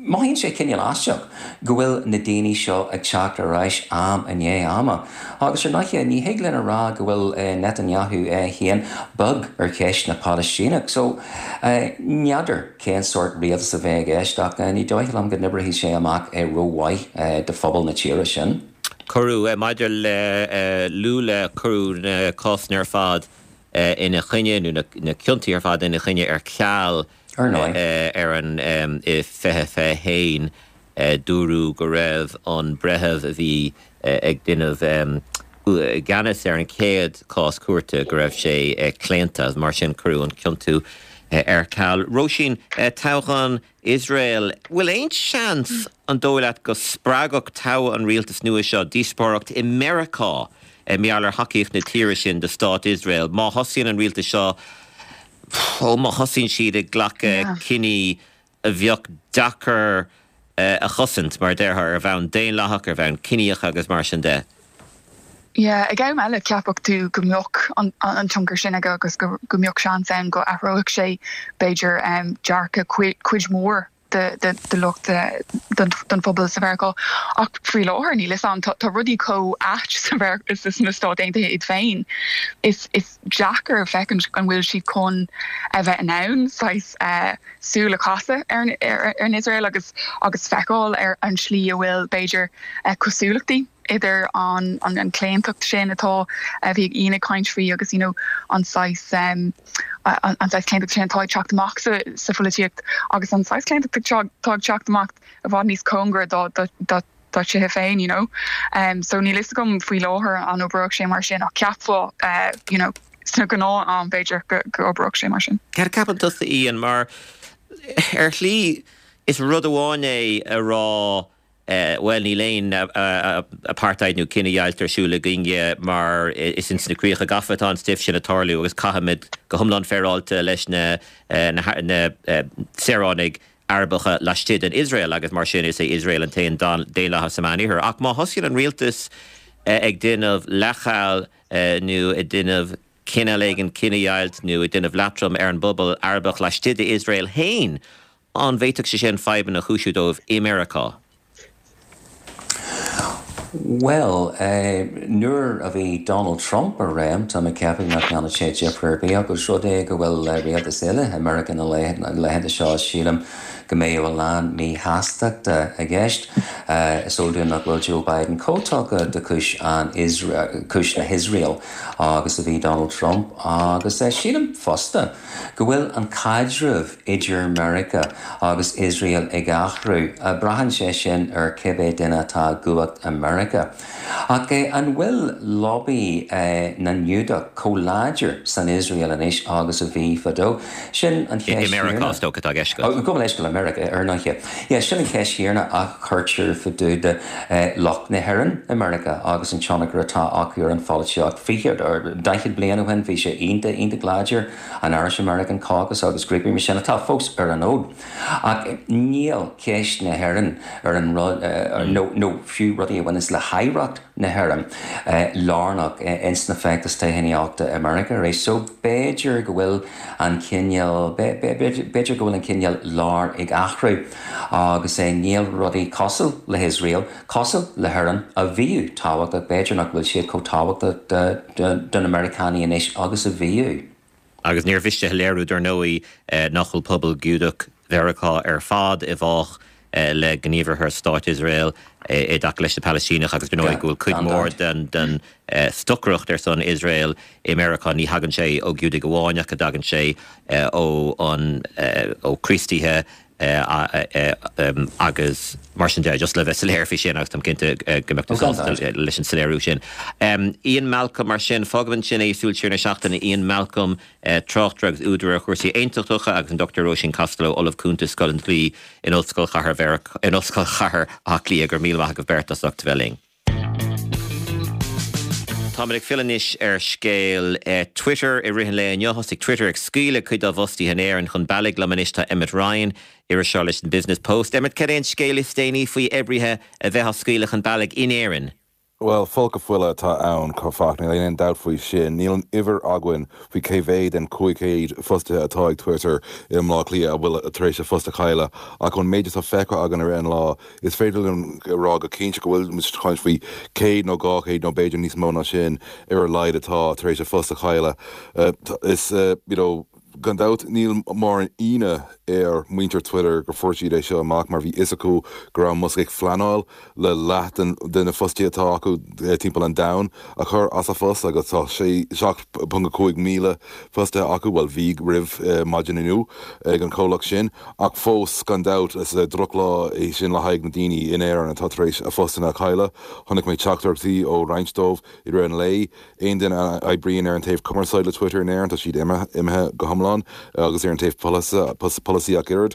Mothaíonn sé cineál aisteach go bhfuil na daoine seo ag teacht ar ais am i ndiaidh ama. Agus ar ndóigh ní thig linn a rá go bhfuil Netanyahu é féin bog ar cheist na Palaistíneach. So n'fheadar cén sórt rialtas a bheidh i gceist ach ní dóigh liom go n-oibreoidh sé amach é rómhaith do phobal na tíre sin. Cuireadh maidir le Lula cuireadh na cásanna ar fad ina choinne nó na ciontaí ar fad ina choinne ar ceal ar an i fiche fiche haon dúradh go raibh an breitheamh a bhí ag déanamh i gceannas ar an chéad cás cúirte go raibh sé claonta mar sin cuireadh an ciontú ar ceal. Róisín toghchán Iosrael, bhfuil aon seans an dóigh leat go spreagfadh toghadh an rialtas nua seo díospóireacht i Meiriceá mar gheall ar thacaíocht na tíre sin do stát Iosrael má thosaíonn an rialtas seo ó má thosaíonn siad ag glacadh cinní a bheadh deacair a chosaint mar déarfá ar bhonn daonlathach ar bhonn ciníoch agus mar sin de. Yeah, ag am eile cheapfadh tú go mbeadh an, an tionchar sin aige agus go, go mbeadh seans ann go athródh sé b'fhéidir um, dearcadh cuid mhór de, de, de lucht den, den phobal sa Mheiriceá. Ach faoi láthair níl a fhios agam tá rudaí chomh ait sna Stáit Aontaithe iad féin. Is, is deacair feicint an bhfuil siad chun a bheith in ann saghas uh, súil a chasadh ar, ar, ar an Iosrael agus agus feiceáil ar an slí a bhfuil b'fhéidir uh, cosúlachtaí idir an an, an claontacht sin atá a bhí Ian ag caint faoi agus you know, an saghas um, an, an saghas claontacht sin atá ag teacht amach sa, sa pholaitíocht agus an saghas claontacht atá ag teacht amach i bhfad níos cóngaraí dá dá dá dá dtithe féin you know um, so níl a fhios agam faoi láthair an oibreodh sé mar sin ach cheapfá uh, you know, sna gnáth am b'fhéidir go go oibreodh sé mar sin. Cad ceapann tusa Ian mar ar shlí is rud amháin é a rá well níl aon apartheid nó cinedheighilt ar siúl againne mar is ins na críocha gafa atá an stuif sin ag tarlú agus caithfimid go hiomlán féaráilte leis na na na saoránaigh Arabacha laistigh den Iosrael agus mar sin is é Iosrael an t-aon daonlathas sa Mheánoirthear. Ach má thosaíonn an rialtas ag déanamh leithcheal nó ag déanamh cineál éigin cinedheighilt nó ag déanamh leatrom ar an bpobal Arabach laistigh d'Iosrael féin, an bhféadfadh sé sin fadhbanna a chúisiú dóibh i Meiriceá. Well, uh, nuair a bhí Donald Trump ar réim tá mé ag ceapadh nach ndéanfadh sé difear ar bith agus rud é go bhfuil uh, rialtas eile i Meiriceá na laethanta seo sílim go mbeidh a lán míshástachta i gceist. Uh, is eol dúinn nach bhfuil Joe Biden chomh tugtha do chúis an cúis na hIosrael agus a bhí Donald Trump agus uh, sílim fosta go bhfuil an caidreamh idir Meiriceá agus Iosrael ag athrú uh, braitheann sé sin ar cibé duine atá i gcumhacht i Meiriceá. Ach eh, an bhfuil lobby eh, na nGiúdach chomh láidir san Iosrael anois agus a bhí fadó sin an I Meiriceá atá i gceist. Go leis go Meiriceá ar ndóighe. Yeah, sin an cheist chéanna a chuirtear fá dtaobh de lucht na hÉireann i Meiriceá agus an tionchar atá acu ar an pholaitíocht. Fiche or daichead bliain ó shin bhí sé iontach iontach láidir an Irish American Caucus agus grúpaí mar sin atá fós ar an fhód. Ach níl ceist na hÉireann ar an rud nó nó fiú rudaí a bhaineanns le hoidhreacht na hÉireann lárnach ins na feachtais toghchánaíochta i Meiriceá arís. So b'fhéidir go bhfuil an cineál b'fhéidir go bhfuil an cineál lár ag athrú agus é níl rudaí cosúil le hIosrael, cosúil le hÉirinn a bhíodh tábhachtach, b'fhéidir nach bhfuil siad chomh tábhachtach do na Meiriceánaigh anois agus a bhíodh. Agus níor mhiste a léiriú dar ndóigh nach bhfuil pobal Giúdach Mheiriceá ar fad i bhfách le gníomhartha Stát Iosrael i dtaca leis na Palaistínigh agus dar ndóigh go bhfuil cuid mhór den den stocaireacht ar son Iosrael i Meiriceá ní thagann sé ó Ghiúdaigh amháin ach go dtagann sé ó an ó Chríostaithe agus mar sin de just le bheith soiléir faoi sin agus táim cinnte go mbeadh tú sásta leis an soiléiriú sin. Ian Malcolm mar sin fágaim ansin é Súil Siar na Seachtaine Ian Malcolm tráchtaire agus údar ar chúrsaí aontachtacha agus an Dochtúir Róisín Costello Ollamh Cúnta Scoil an Dlí in Ollscoil Chathair in Ollscoil Chathair Átha Cliath go raibh míle maith agaibh beirt as ucht bheith linn. Táimid ag filleadh anois ar scéal Twitter i rith an lae inniu. Thosaigh Twitter ag scaoileadh cuid dá bhfostaithe in Éirinn chun bealaigh liom anois tá Emmet Ryan, iriseoir leis an Business Post. Emmet cad é an scéal is déanaí faoi oibrithe a bheith á scaoileadh chun bealaigh in Éirinn? Bhuel, folcadh fola atá ann a Fhachtna, níl aon dabht faoi sin. Níl an uimhir againn faoi cé mhéad den cúig chéad fostaithe atá ag Twitter i mBleá Cliath a bhfuil tar éis a phost a chailleadh, ach ón méid atá feicthe againn ar an lá, is féidir liom a rá go cinnte go bhfuil muid ag caint faoi céad nó dhá chéad nó b'fhéidir níos mó ná sin ar a laghad atá tar éis a phost a chailleadh. Is you know, gan dabht níl mórán ionadh ar muintir Twitter gur fuair siad é seo amach mar bhí fhios acu go raibh Musk ag pleanáil le leath de na fostaithe atá acu timpeall an domhain a chur as a phost agus tá sé seacht ponc cúig míle fostaithe acu bhuel bhí roimh maidin inniu ag an chomhlacht sin ach fós gan dabht is drochlá é sin le haghaidh na daoine in Éirinn atá tar éis a phostanna a chailleadh. Chonaic mé teachtaireachtaí ó roinnt dóibh i rith an lae. Aon duine a oibríonn ar an taobh cumarsáid le Twitter in Éirinn tá siad imithe go hiomlán agus ar an taobh polasaí ach oiread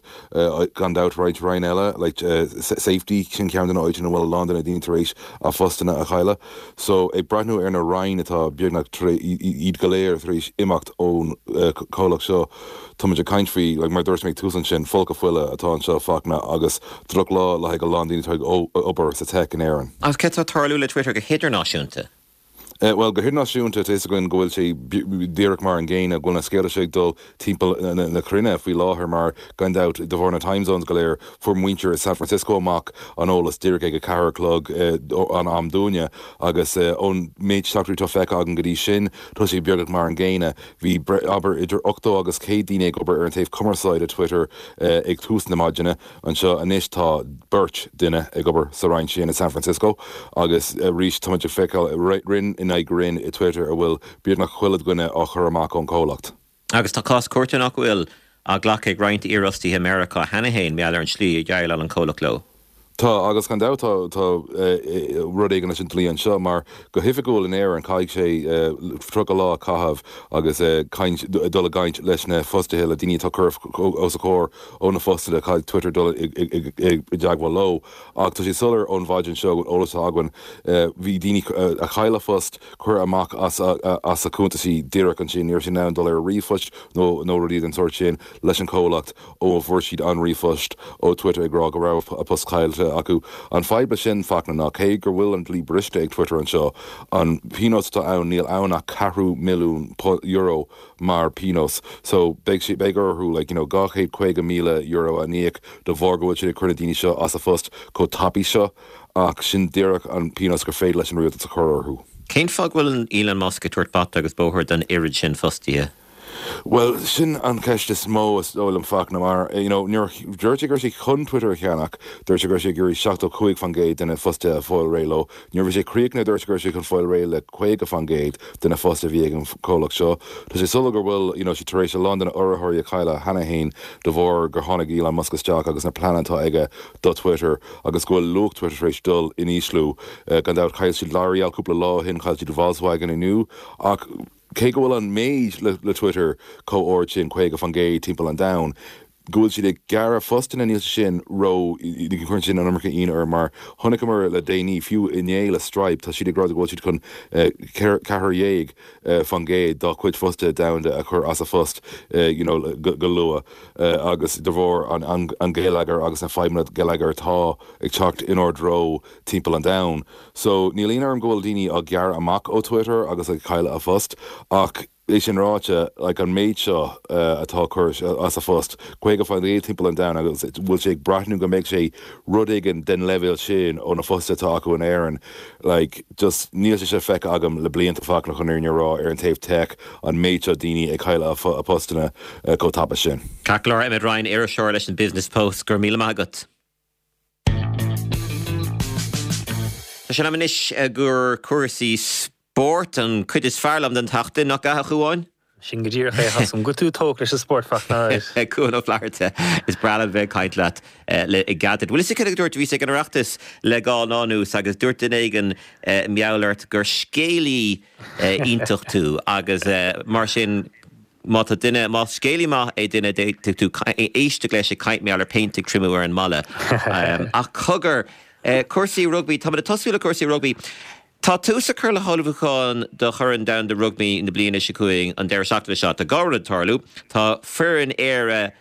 gan dabht roinnt roinn eile like safety sin ceann de na háiteanna a bhfuil a lán de na daoine tar éis a phostanna a chailleadh. So ag breathnú ar na roinn atá beagnach iad go léir tar éis imeacht ón comhlacht seo tá muid ag caint faoi like mar dúirt mé ag tús ansin folcadh fola atá anseo Fachtna agus drochlá le haghaidh a lán daoine atá ag obair sa tech in Éirinn. Agus cad tá ag tarlú le Twitter go hidirnáisiúnta? Bhuel, go hidirnáisiúnta, tá fhios againn go bhfuil sé díreach mar an gcéanna, go bhfuil na scéalta seo ag dul timpeall na cruinne faoi láthair mar, gan dabht, de bharr na time zones go léir, fuair muintir i San Francisco amach an eolas díreach ag a ceathair a chlog an am dúinne agus ón méid teachtaireachtaí atá feicthe againn go dtí sin, tá sé beagnach mar an gcéanna. Bhí, abair, idir ochtó agus céad daoine ag obair ar an taobh cumarsáide Twitter ag tús na maidine anseo. Anois tá beirt duine ag obair sa roinn sin i San Francisco agus arís táimid ag feiceáil roinn in aghaidh roinn i Twitter a bhfuil beagnach chuile dhuine á chur amach ón chomhlacht. Agus tá cás cúirte nach bhfuil á ghlacadh ag roinnt iarfhostaithe i Meiriceá cheana féin mar gheall ar an tslí a dhéileáil an comhlacht leo. Tá, agus gan dabht tá tá rud éigin leis an dlí anseo mar go hoifigiúil in Éirinn caithfidh sé tríocha lá a chaitheamh agus caint dul i gcaint leis na fostaithe le daoine atá curtha os a chomhair ó na fostaithe caithfidh Twitter dul i dteagmháil leo. Ach tá sé soiléir ón mhaidin seo go bhfuil eolas againn bhí daoine a chaill a phost curtha amach as as a cuntaisí díreach ansin ní raibh siad in ann dul ar ríomhphost nó nó rudaí den sórt sin leis an chomhlacht ó a fuair siad an ríomhphost ó Twitter ag rá go raibh a post caillte acu. An fadhb leis sin Fachtna ná cé gur bhfuil an dlí briste ag Twitter anseo, an pionós atá ann níl ann ach ceathrú milliún euro mar pionós. So beidh sé beidh orthu like you know dhá chéad caoga míle euro a íoc de bharr go bhfuil siad ag cur na daoine seo as a phost chomh tapaidh seo ach sin díreach an pionós gur féidir leis an rialtas a chur orthu. Cén fáth go bhfuil Elon Musk ag tabhairt bata agus bóthar don oiread sin fostaithe? Bhuel, sin an cheist is mó is dóigh liom Fachtna mar you know nuair a dúirt sé go raibh sé chun Twitter a cheannach, dúirt sé go raibh sé ag iarraidh seachtó cúig faoin gcéad de na fostaithe a fáil réidh leo. Nuair a bhí sé críochnaithe dúirt sé go raibh sé chun fáil réidh le caoga faoin gcéad de na fostaithe a bhí ag an chomhlacht seo. Tá sé soiléir go bhfuil you know sé tar éis a lán de na urraitheoirí a chailleadh cheana féin de bharr gur tháinig Elon Musk isteach agus na pleananna atá aige do Twitter agus go bhfuil luach Twitter tar éis dul in ísliú. Gan dabht chaill siad L'Oreal cúpla lá ó shin, chaill siad Volkswagen inniu ach cé go bhfuil an méid le, le Twitter chomh ard sin caoga faoin gcéad timpeall an domhain, Go bhfuil siad ag gearradh postanna níl sin ró chuireann sin an iomarca ionadh orm mar chonaiceamar le déanaí fiú inné le Stripe tá siad ag rá go bhfuil siad chun ceathair dhéag faoin gcéad dá chuid fostaithe domhanda a chur as a phost you know go luath agus de bharr an an geilleagar agus na fadhbanna geilleagar atá ag teacht inár dtreo timpeall an domhain. So níl ionadh orm go bhfuil daoine á gearradh amach ó Twitter agus ag cailleadh a phost ach É sin ráite, like an méid seo atá curtha as a phost, caoga faoin gcéad timpeall an domhain agus bhfuil sé ag breathnú go mbeidh sé rud éigin den leibhéal sin ó na fostaithe atá acu in Éirinn, like just níl sé seo feicthe agam le blianta Fachtna chun an fhírinne a rá ar an taobh tech an méid seo daoine ag cailleadh a postanna chomh tapa sin. Ceart go leor, Emmet Ryan, iriseoir leis an Business Post, go raibh míle maith agat. Tá sé in am anois gur cúrsaí Spórt, an cuid is fearr liom den tseachtain, nach ea, a Chuáin? Sin go díreach é, tá a fhios agam go bhfuil tú tógtha leis an spórt, Fachtna. Cuan Ó Flatharta, is breá liom bheith ag caint leat le gairid. Bhfuil fhios agat cad a dúirt, bhíos ag an Oireachtas le dhá lá anuas agus dúirt duine éigin mar gheall ort gur scéalaí iontach tú agus mar sin má tá duine, más scéalaí maith é duine d'fhéadfadh tú éisteacht leis ag caint mar gheall ar phéint ag triomú ar an mballa. Ach cogar, cúrsaí rugbaí, táimid ag tosú le cúrsaí rugbaí. Tá tús á chur le hullmhúcháin do Chorn Domhanda Rugbaí na bliana seo chugainn an deireadh seachtaine seo. Tá dhá rud ag tarlú. Tá foireann Éire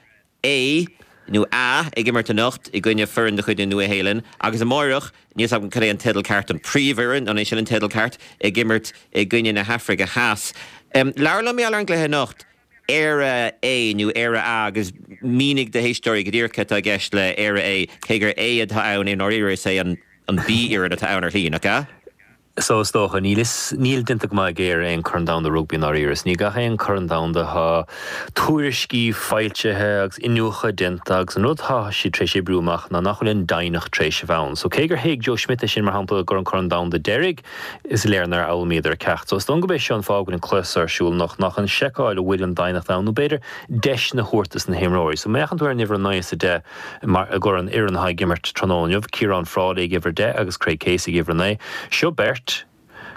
A, nó A, ag imirt anocht i gcoinne foireann de chuid na Nua-Shéalainne agus amáireach, níl 's agam cad é an teideal ceart, an príomhfhoireann, an é sin an teideal ceart, ag imirt i gcoinne na hAfraice Theas. Labhair liom mar gheall ar an gcluiche anocht, Éire A nó Éire A agus mínigh do éisteoirí go díreach cad atá i gceist le Éire A, cé gur A atá ann i ndáiríre is é an B fhoireann atá ann ar shlí, nach ea? So is dócha, níl is, níl déanta go maith ag Éire aon Chorn Domhanda Rugbaí i ndáiríre. Is ní gach aon Chorn Domhanda tá tuairiscí foilsithe agus iniúchadh déanta agus an rud atá siad tar éis oibriú amach ná nach bhfuil an doimhneacht tar éis a bheith ann. So cé gur thuig Joe Schmidt é sin mar shampla i gcomhair an Corn Domhanda deiridh, is léir nár fhoghlaimíodar a ceacht. So is dóigh gurb é seo an fáth go bhfuil an cluiche seo ar siúl anocht, ná chun seiceáil an bhfuil an doimhneacht ann nó b'fhéidir deiseanna a thabhairt dos na himreoirí. So má fhéachann tú ar an uimhir a naoi is a deich mar i gcomhair an fhoireann atá ag imirt tráthnóna inniu, Ciarán Frawley ag uimhir a deich agus Craig Casey ag uimhir a naoi, seo beirt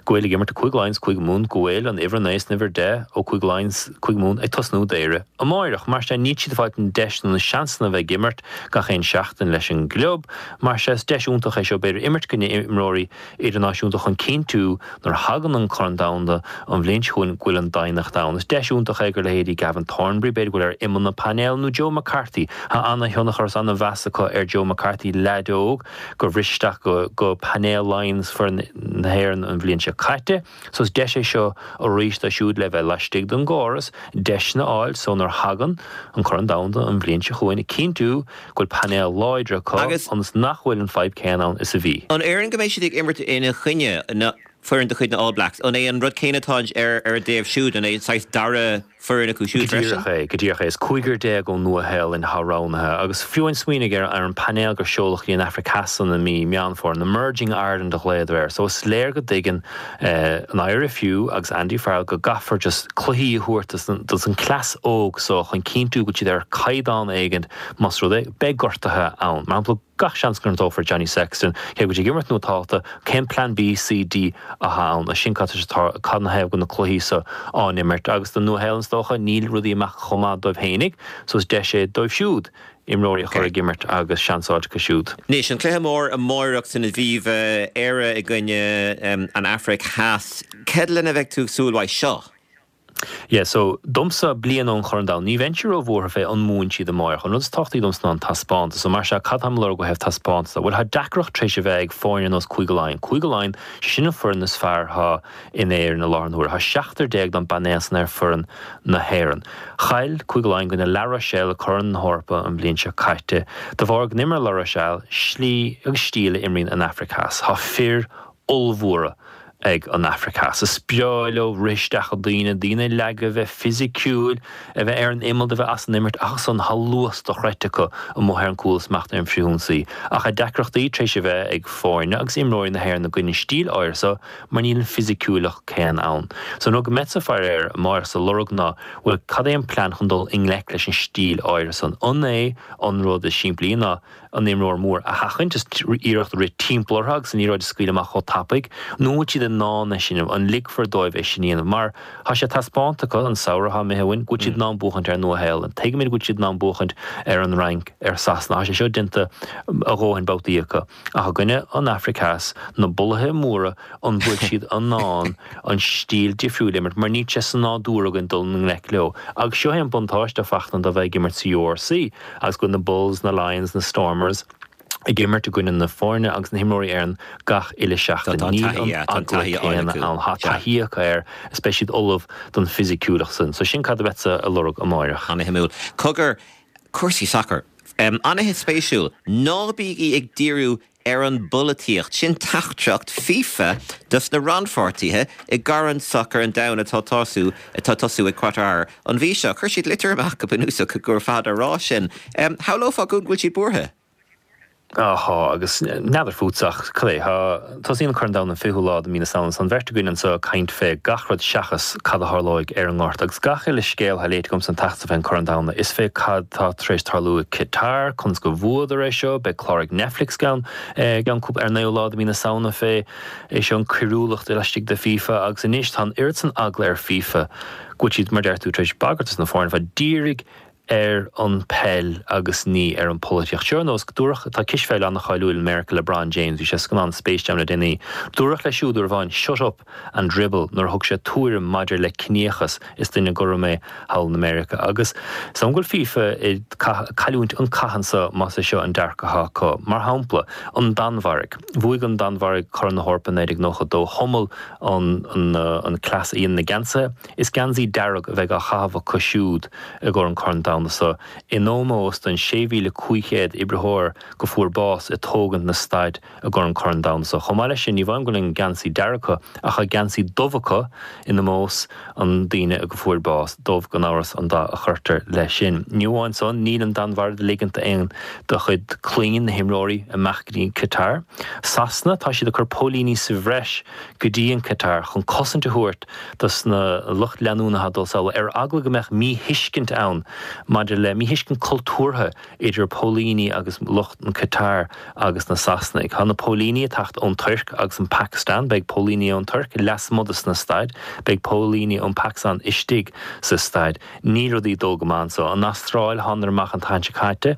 go bhfuil ag imirt do Cúige Laighean is Cúige Mumhan, go bhfuil an uimhir a naoi is an uimhir a deich ó Cúige Laighean is Cúige Mumhan ag tosnú d'Éire amáireach. Mar sin níl siad ag fáilt an deis nó na seansanna a bheith ag imirt gach aon seachtain leis an gclub. Mar sin is deis iontach é seo b'fhéidir imirt i gcoinne imreoirí idirnáisiúnta chun cinntiú nuair a thagann an Corn Domhanda an bhliain seo chugainn go bhfuil an doimhneacht ann. Is deis iontach é gur leithéidí Gavin Thornbury, b'fhéidir go bhfuil ar imeall na painéal, nó Joe McCarthy. Tá ana-thionchar is ana-mheas acu ar Joe McCarthy, leaid óg gur bhris isteach go go painéal Laighean is foireann na hÉireann an bhliain seo caite. So is deis é seo arís dóibh siúd le bheith laistigh den gcóras, deiseanna a fháil so nuair a thagann an Corn Domhanda an bhliain seo chugainn, cinntiú go bhfuil painéal láidir acu Agus ionas nach bhfuil an fadhb céanna ann is a bhí. An fhoireann go mbeidh siad ag imirt ina choinne, na foireann de chuid na All Blacks, an é an rud céanna atá ar ar a dtaobh siúd, an é saghas dara foireann acu Go siúd freisin? díreach é, go díreach é. Is cúigear déag ón Nua-Shéalainn atá roghnaithe agus fiú amháin smaoinigh ar ar an painéal gur seoladh go dtí an Afraic Theas i mí Meán Fómhair, an Emerging Ireland a ghlaodar air. So is léir go dtuigeann an IRFU agus Andy Farrell go gcaithfear just cluichí a thabhairt dos an cleas óg so chun cinntiú go bhfuil siad ar caighdeán éigin más rud é beidh gortuithe ann. Mar shampla gach seans go ngortófar Johnny Sexton, cé go bhfuil sé ag imirt nó táta, cén plean B, C, D atá ann? Sin cad cad na thaobh go na cluichí so á n-imirt agus don Nua-Shéalainn is dócha níl rudaí ag imeacht chomh maith dóibh fhéinig so is deis é dóibh siúd imreoirí a chur ag imirt agus seans a fháilt acu siúd. Anois, an cluiche mór amáireach san Aviva, Éire i gcoinne an Afraic Theas. Cad lena bheidh tú ag súil uaidh seo? Yeah, so, domsa, bliain ón Chorn Domhanda, ní bheinnse ró-bhuartha fé an mbuann siad amáireach. An rud is tábhachtaí domsa ná an taispeántas. So, mar sea, cad táim ag lorg ó thaobh taispeántas de? Bhuel, tá deacracht tar éis a bheith ag foirne ar nós Cúige Laighean. Cúige Laighean, sé sin an foireann is fearr atá in Éirinn i láthair na huaire. Tá seachtar déag don bpainéal san ar foireann na hÉireann. Chaill Cúige Laighean i gcoinne La Rochelle i Corn na hEorpa an bhliain seo caite de bharr go n-imir La Rochelle slí agus stíl a imríonn an Afraic Theas. Tá fir ollmhóra ag an Afraic Theas. Is breá leo rith isteach i daoine, daoine a leagadh, a bheith fisiciúil, a bheith ar an imeall, a bheith as an imirt ach ansan tá luas dochreidte acu amuigh ar an gcúl is amach ar an bhfrithionsaí. Ach tá deacrachtaí tar éis a bheith ag foirne agus imreoirí na hÉireann i gcoinne an stíl áirithe so mar níl an fisiciúlacht céanna ann. So an rud go mbeadsa ag faire air amáireach is ag lorg ná bhuel cad é an plean chun dul i ngleic leis an stíl áirithe san? An é an rud is simplí ná an imreoir mór a sheachaint is iarracht rith timpeall orthu agus an liathróid a scaoileadh amach chomh tapaidh, nó an bhfuil siad in in ann é sin a dhéanamh, an ligfear dóibh é sin a dhéanamh? Mar tá sé taispeánta acu an samhradh atá imithe uainn go bhfuil siad in ann buachaint ar Nua-Shéalainn, tuigimid go bhfuil siad in ann buachaint ar an Fhrainc, ar Sasana, tá sé seo déanta a dhóthain babhtaí acu. Ach i gcoinne an Afraic Theas, na bulaithe móra, an bhfuil siad in ann an stíl difriúil a imirt, mar níl sé sa nádúr againn dul i ngleic leo. Agus seo é an buntáiste, a Fachtna, de bheith ag imirt sa URC agus go bhfuil na Bulls, na Lions, na Stormers, ag imirt i gcoinne na foirne agus na himreoirí Éireann gach uile seachtain. Níl an eagla céanna ann. Tá taithí acu air is beidh siad ullamh don fisiciúlacht san. So sin cad a bheadsa a lorg amáireach. Ana-shuimiúil. Cogar, cúrsaí sacair. Ana-spéisiúil. Ná bígí ag díriú ar an bpolaitíocht. Sin teachtaireacht FIFA dos na rannpháirtithe i gCorn Sacair an Domhain atá tosú atá tosú i Qatar an mhí seo. Chuir siad litir amach go bunúsach gur fada a rá sin. Shamhlófá go bhfuil siad buartha. Á thá, agus n'fheadar fútsa ach cad é, thá, tosaíonn an Corn Domhanda an fichiú lá de mí na Samhna, tá an bheirt againn anseo ag caint fé gach rud seachas cad a tharlóidh ar an ngort, agus gach uile scéal thá léite agamsa an tseachtain seo fén Corn Domhanda, is fé cad tá tar éis tarlú i Qatar, conas go bhuadar é seo, beidh clár ag Netflix gceann, gceann cúpla, ar an naoú lá de mí na Samhna fé é seo, an coiriúlacht laistigh de FIFA, agus anois tá an oiread san eagla ar FIFA go bhfuil siad, mar deir tú, tar éis bagairt dos na foirne fá dírigh ar an peil agus ní ar an polaitíocht. Seo ar nós, dúradh, tá cispheil an-cháiliúil i Meiriceá, LeBron James, bhí sé sa scannán Space Jam le déanaí, dúradh leis siúd uair amháin shut up and dribble nuair a thug sé tuairim maidir le ciníochas, is duine gorm é thall in America. Agus is dóigh go bhfuil FIFA ag cailliúint an cath anso más é seo an dearcadh atá acu. Mar shampla, an Danmhairg. Bhuaigh an Danmhairg Corn na hEorpa naoi déag nócha dó, chumil an an cleas a dhéanamh na geansaithe. Is geansaí dearg a bheidh á chaitheamh acu siúd i gcomhair an Corn Domhanda so, in ómós don sé mhíle cúig chéad oibritheoir go fuair bás ag tógaint na staid i gcomhair an Corn Domhanda so. Chomh maith leis sin, ní amháin go bhfuil an geansaí dearg acu, ach tá geansaí dubh acu in ómós an daoine go fuair bás. Dubh, gan amhras, an dath a chuirtear leis sin. Ní amháin san, níl an Danmhairg ag ligint d'aon de chuid clainn na himreoirí imeacht go dtí an Qatar. Sasana, tá siad ag cur póilíní sa bhreis go dtí an Qatar chun cosaint a thabhairt dos na lucht leanúna atá ag dul sall, ar eagla go mbeadh míthuiscint ann maidir le míthuiscint cultúrtha idir póilíní agus lucht an Qatar agus na Sasanaigh. Tá na póilíní ag teacht ón Tuirc agus an Phacastáin, beidh póilíní ón Tuirc lasmuigh dos na staid, beidh póilíní ón Phacastáin istigh sa staid. Níl rudaí ag dul go maith anso. An Astráil, thánadar amach an tseachtain seo caite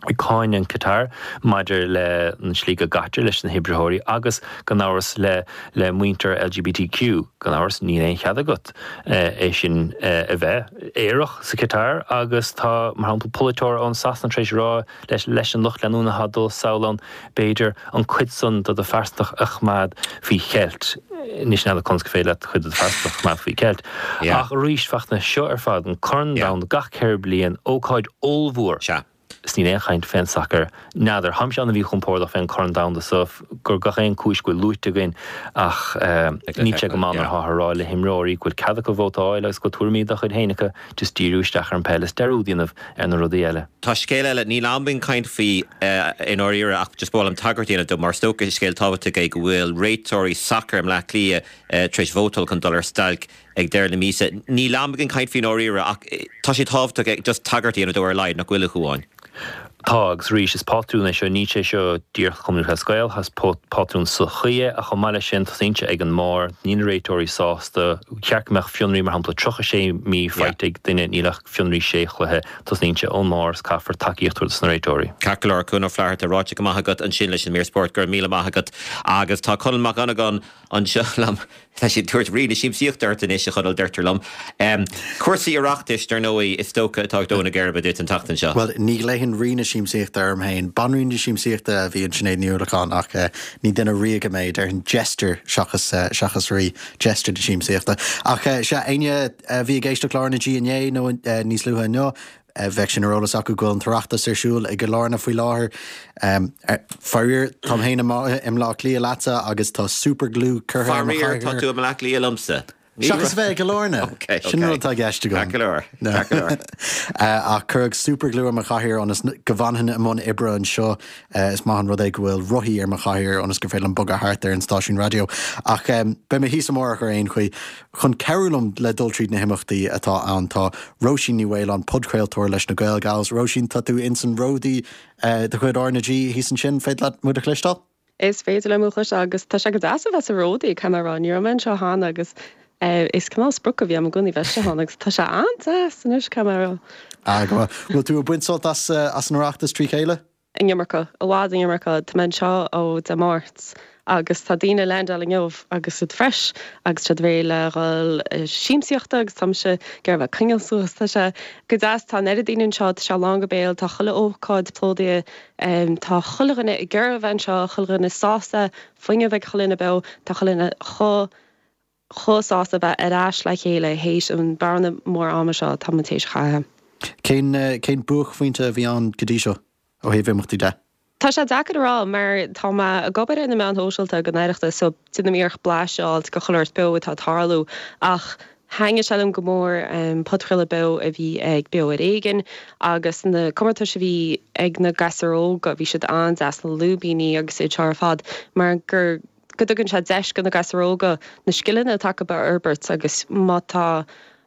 ag cáineadh an Qatar maidir le an slí go gcaitear leis na hoibritheoirí agus, gan amhras, le le muintir LGBTQ. Gan amhras, níl aon chead agat é sin a bheith aerach sa Qatar agus tá, mar shampla, polaiteoir ón Sasana tar éis a rá leis leis an lucht leanúna atá ag dul sall ann, b'fhéidir, an cuid san de do phearsantacht a choimeád faoi cheilt. Anois n'fheadar conas gur féidir leat cuid de do phearsantacht a choimeád faoi cheilt. Ach arís, Fachtna, seo ar fad, an Corn Domhanda gach ceithre bliain, ócáid ollmhór. Is níl aon chaint fén sacar. N'fheadar. Táimse an-mhíchompordach fén Corn Domhanda so, gur gach aon cúis go bhfuil luaite againn ach níl sé go maith mar atáthar a rá le himreoirí go bhfuil cead acu vótáil agus go bhfuil tuairimí dá chuid féin acu, just díriú isteach ar an peil is dearúd a dhéanamh ar na rudaí eile. Tá scéal eile, níl am againn caint faoi i ndáiríre ach just ba mhaith liom tagairt a dhéanamh dó mar is dócha scéal tábhachtach é go bhfuil réiteoirí sacair i mBleá Cliath tar éis vótáil chun dul ar stailc ag deireadh na míosa. Níl am againn caint faoi i ndáiríre ach tá sé tábhachtach just tagairt a dhéanamh dó ar a laghad, nach bhfuil, a Chuáin? Tá, agus arís, is pátrún é seo, níl sé seo díreach do Chumann Lúthchleas Gael, is pátrún sochaí é, ach chomh maith leis sin, tosaíonn sé ag an mbarr, níl na réiteoirí sásta, cheart go mbeadh fionraí, mar shampla, tríocha sé mí faighte ag duine, níl ach fionraí sé chluiche, tosaíonn sé ón mbarr is caithfear tacaíocht a thabhairt dos na réiteoirí. Ceart go leor, Cuan Ó Flatharta, ráite go maith agat ansin leis an mír spóirt, go raibh míle maith agat. Agus tá Conall Mac Dhonnagáin anseo liom. Tá siad ag tabhairt Rí na Siamsaíochta ort anois, a Chonaill, deirtear liom. Cúrsaí Oireachtais, dar ndóigh, is dócha atá ag dó na geirbe duit an tseachtain seo. Bhuel, ní ghlaofainn Rí na Siamsaíochta orm féin. Banríon na Siamsaíochta a bhí in Sinéad Ní Uallacháin ach ní duine ríoga mé, déarfainn jester seachas seachas rí, jester na siamsaíochta. Ach sea, éinne a bhí ag éisteacht le R na G inné nó níos luaithe inniu, Bheadh sin ar eolas acu go bhfuil an tOireachtas ar siúl i gCill Airne faoi láthair. Faraor, táim féin i mBleá Cliath leatsa agus tá super glue curtha ar mo Faraor, tá chathaoir. tú i mBleá Cliath liomsa. Seachas a bheith i gCill Airne. Ok, ok. Sin an rud atá i gceist agam. Ceart go leor, ceart go leor. Ach cuireadh super glue ar mo chathaoir ionas go bhfanfainn i mbun oibre anseo. Is maith an rud é go bhfuil rothaí ar mo chathaoir ionas gur féidir liom bogadh thart ar an stáisiún raidió. Ach beidh mé thíos amárach ar aon chaoi. Chun cabhrú liom le dul tríd na himeachtaí atá ann tá Róisín Ní Mhaoláin, podchraoltóir leis na Gael Gals. Róisín, tá tú ins an ródaí de chuid R na G thíos ansin, féidir leat muid a chloisteáil? Is féidir liom chloisteáil agus tá sé go deas a bheith sa Ródaí caithfidh mé a rá ní raibh mé anseo cheana agus is cineál sprioc a bhí agam i gcónaí bheith anseo agus tá sé an-deas anois caithfidh mé a rá. Ah go maith. Bhfuil tú ag baint sult as as an Oireachtas trí chéile? An iomarca, i bhfad an iomarca. Tá mé anseo ó Dé Máirt agus tá daoine ag landáil inniu agus iad fresh agus siad réidh le dhul siamsaíochta agus tá mise ag iarraidh bheith ag coinneáil suas. Tá sé go deas, tá an oiread daoine anseo, tá sé lán go béal, tá chuile ócáid plódaithe, tá chuile dhuine ag iarraidh a bheith anseo, chuile dhuine sásta, fuinneamh ag chuile dhuine beo, tá chuile dhuine chomh chomh sásta bheith ar ais le chéile théis an bearna mór ama seo atá muid théis a chaitheamh. Cén cén buaicphointe a bhí ann go dtí seo ó thaobh imeachtaí de? Tá sé deacair a rá mar tá mé ag obair ar na meáin shóisialta don Oireachtas so déanaim iarracht blaiseadh a fháilt de chuile shórt beo atá ag tarlú ach thaitnigh sé liom go mór podchraoladh beo a bhí ag Beo ar Éigean agus na comórtais a bhí ag na gasúir óga bhí siad an-deas na lúibíní agus iad seo ar fad mar gur go dtugann sé deis do na gasúir óga na scileanna atá acu a fhorbairt agus má tá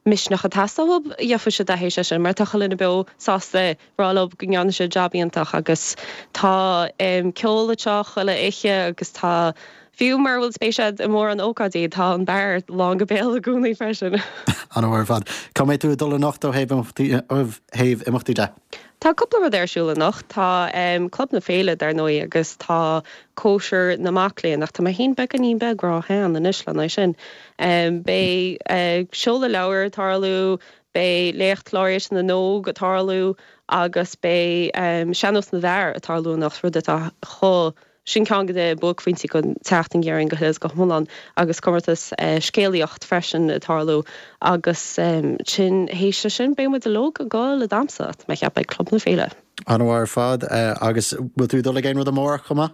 misneach ag teastáil uathu, gheobhaidh siad é théis sin mar tá chuile dhuine beo sásta rá leo go ndearna siad jab iontach agus tá ceol anseo chuile oíche agus tá, fiú mura bhfuil spéis agat i mórán ócáidí, tá an beár lán go béal i gcónaí freisin. An-mhaith ar fad. Cá mbeidh tú ag dul anocht ó thaobh imeachtaí de? Tá cúpla rud ar siúl anocht. Tá Club na Féile, dar ndóigh, agus tá Cóisir na Mac Léinn, ach tá mé féin beagáinín beag ró-shean anois lena aghaidh sin. Beidh seoladh leabhar ag tarlú, beidh Léacht Laureate na nÓg ag tarlú agus beidh Sean-Nós na bhFear ag tarlú anocht, rud atá chomh Sin ceann de na buaicphointí den tseachtain déarfainn go huile is go hiomlán agus comórtas scéalaíocht freisin ag tarlú agus sin théis sin beidh muid uilig ag dul ag damhsa tá mé ag ceapadh ag Club na Féile. An-mhaith ar fad agus bhfuil tú ag dul ag aon rud amárach chomh maith?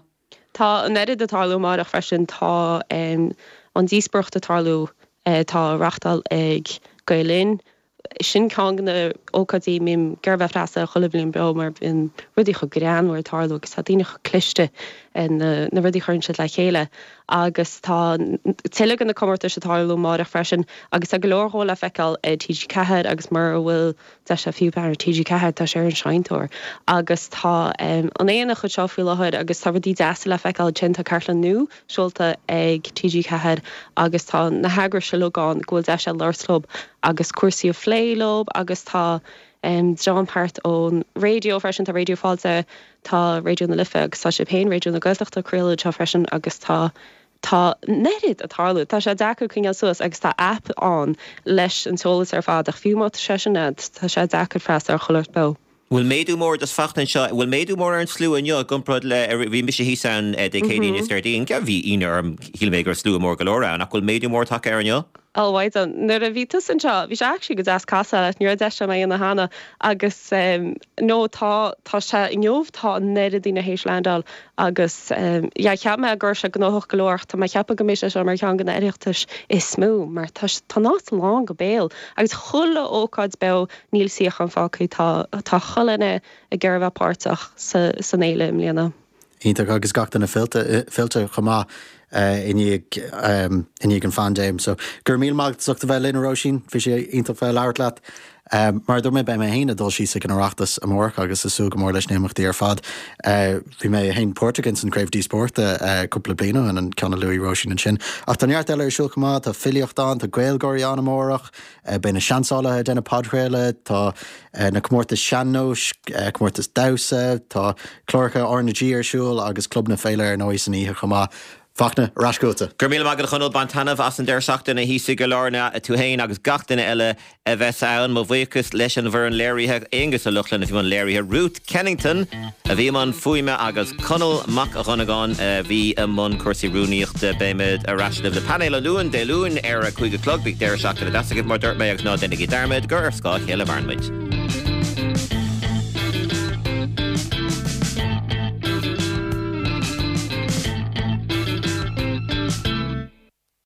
Tá an oiread ag tarlú amárach freisin, tá an díospóireacht ag tarlú atá á reachtáil ag Gael Linn, Sin ceann de na ócáidí a mbím ag iarraidh bheith freastal air chuile bhliain beo mar bíonn rudaí chomh greannmhar ag tarlú agus tá daoine chomh cliste na rudaí a chuireann siad le chéile agus tá tuilleadh de na comórtais ag tarlú amárach freisin agus tá go leor dhó le feiceáil ar T G ceathair agus mura bhfuil deis agat fiú breathnú ar T G ceathair tá sé ar an Seinnteoir agus tá an Aonach anseo faoi láthair agus tá rudaí deasa le feiceáil ansin tá cartlann nua seolta ag T G ceathair agus tá na heagrais uilig ann go bhfuil deis agat labhairt leo agus cúrsaí a phlé leo agus tá dream thart ón raidió freisin, tá Raidió Fáilte, tá Raidió na Life agus tá sibh féin, Raidió na Gaeltachta, ag craoladh anseo freisin agus tá tá an oiread ag tarlú. Tá sé deacair coinneáil suas agus tá aip ann leis an t-eolas ar fad ach fiú má tá sé sin agat, tá sé deacair freastal ar chuile shórt beo. Bhfuil méadú mór just Fachtna anseo, bhfuil méadú mór ar an slua inniu i gcomparáid le, bhí mise thíos ann Dé Céadaoin is Déardaoin, bhí ionadh orm, shíl mé go raibh slua mór go leor ann, ach bhfuil méadú mór tagtha air inniu? Oh mhaighdean, nuair a bhí tusa anseo, bhí sé actually go deas casadh leat, ní raibh deis agam é a dhéanamh cheana agus no tá, tá sé inniu, tá an oiread daoine théis landáil agus yeah cheap mé go raibh sé gnóthach go leor ach tá mé ag ceapadh go mbeidh sé seo mar cheann de na Oireachtais is mó mar tá, tá an áit lán go béal agus chuile ócáid beo níl suíochán fágtha, tá, tá chuile dhuine ag iarraidh a bheith páirteach sa, san fhéile i mbliana. Iontach agus gach duine fillte, fillte chomh maith i ndiaidh, i ndiaidh an phaindéim. So, go raibh míle maith agat as ucht a bheith linn a Róisín, bhí sé iontach bheith ag labhairt leat. Mar a dúirt mé, beidh mé féin ag dul síos ag an Oireachtas amárach agus ag súil go mór leis na himeachtaí ar fad. Bhí mé féin páirteach ins an Craobh Díospóireachta cúpla bliain ó shin, an ceann a luaigh Róisín ansin. Ach tá neart eile ar siúl chomh maith, tá filíocht ann, tá GaelGáirí ann amárach, beidh na seansálaithe ag déanamh podchraoladh, tá na comórtais sean-nóis, comórtas damhsa, tá cláracha R na G ar siúl agus Club na Féile ar ndóigh san oíche chomh maith. Fachtna, ar ais chugatsa. Go raibh míle maith agat a Chonaill, bain taitneamh as an deireadh seachtaine thíos i gCill Airne, tú fhéin agus gach duine eile a bheas ann. Mo bhuíochas leis an bhfoireann léirithe, Aonghus Ó Lochlainn a bhí i mbun léirithe, Ruth Kennington a bhí i mbun fuaime agus Conall Mac Dhonnagáin a bhí i mbun cúrsaí rúnaíochta. Beimid ar ais libh le painéal an Luain, Dé Luain ar a cúig a chlog. Bíodh deireadh seachtaine deas agaibh mar dúirt mé agus ná déanaigí dearmad gur ar scáth a chéile a mhaireann muid.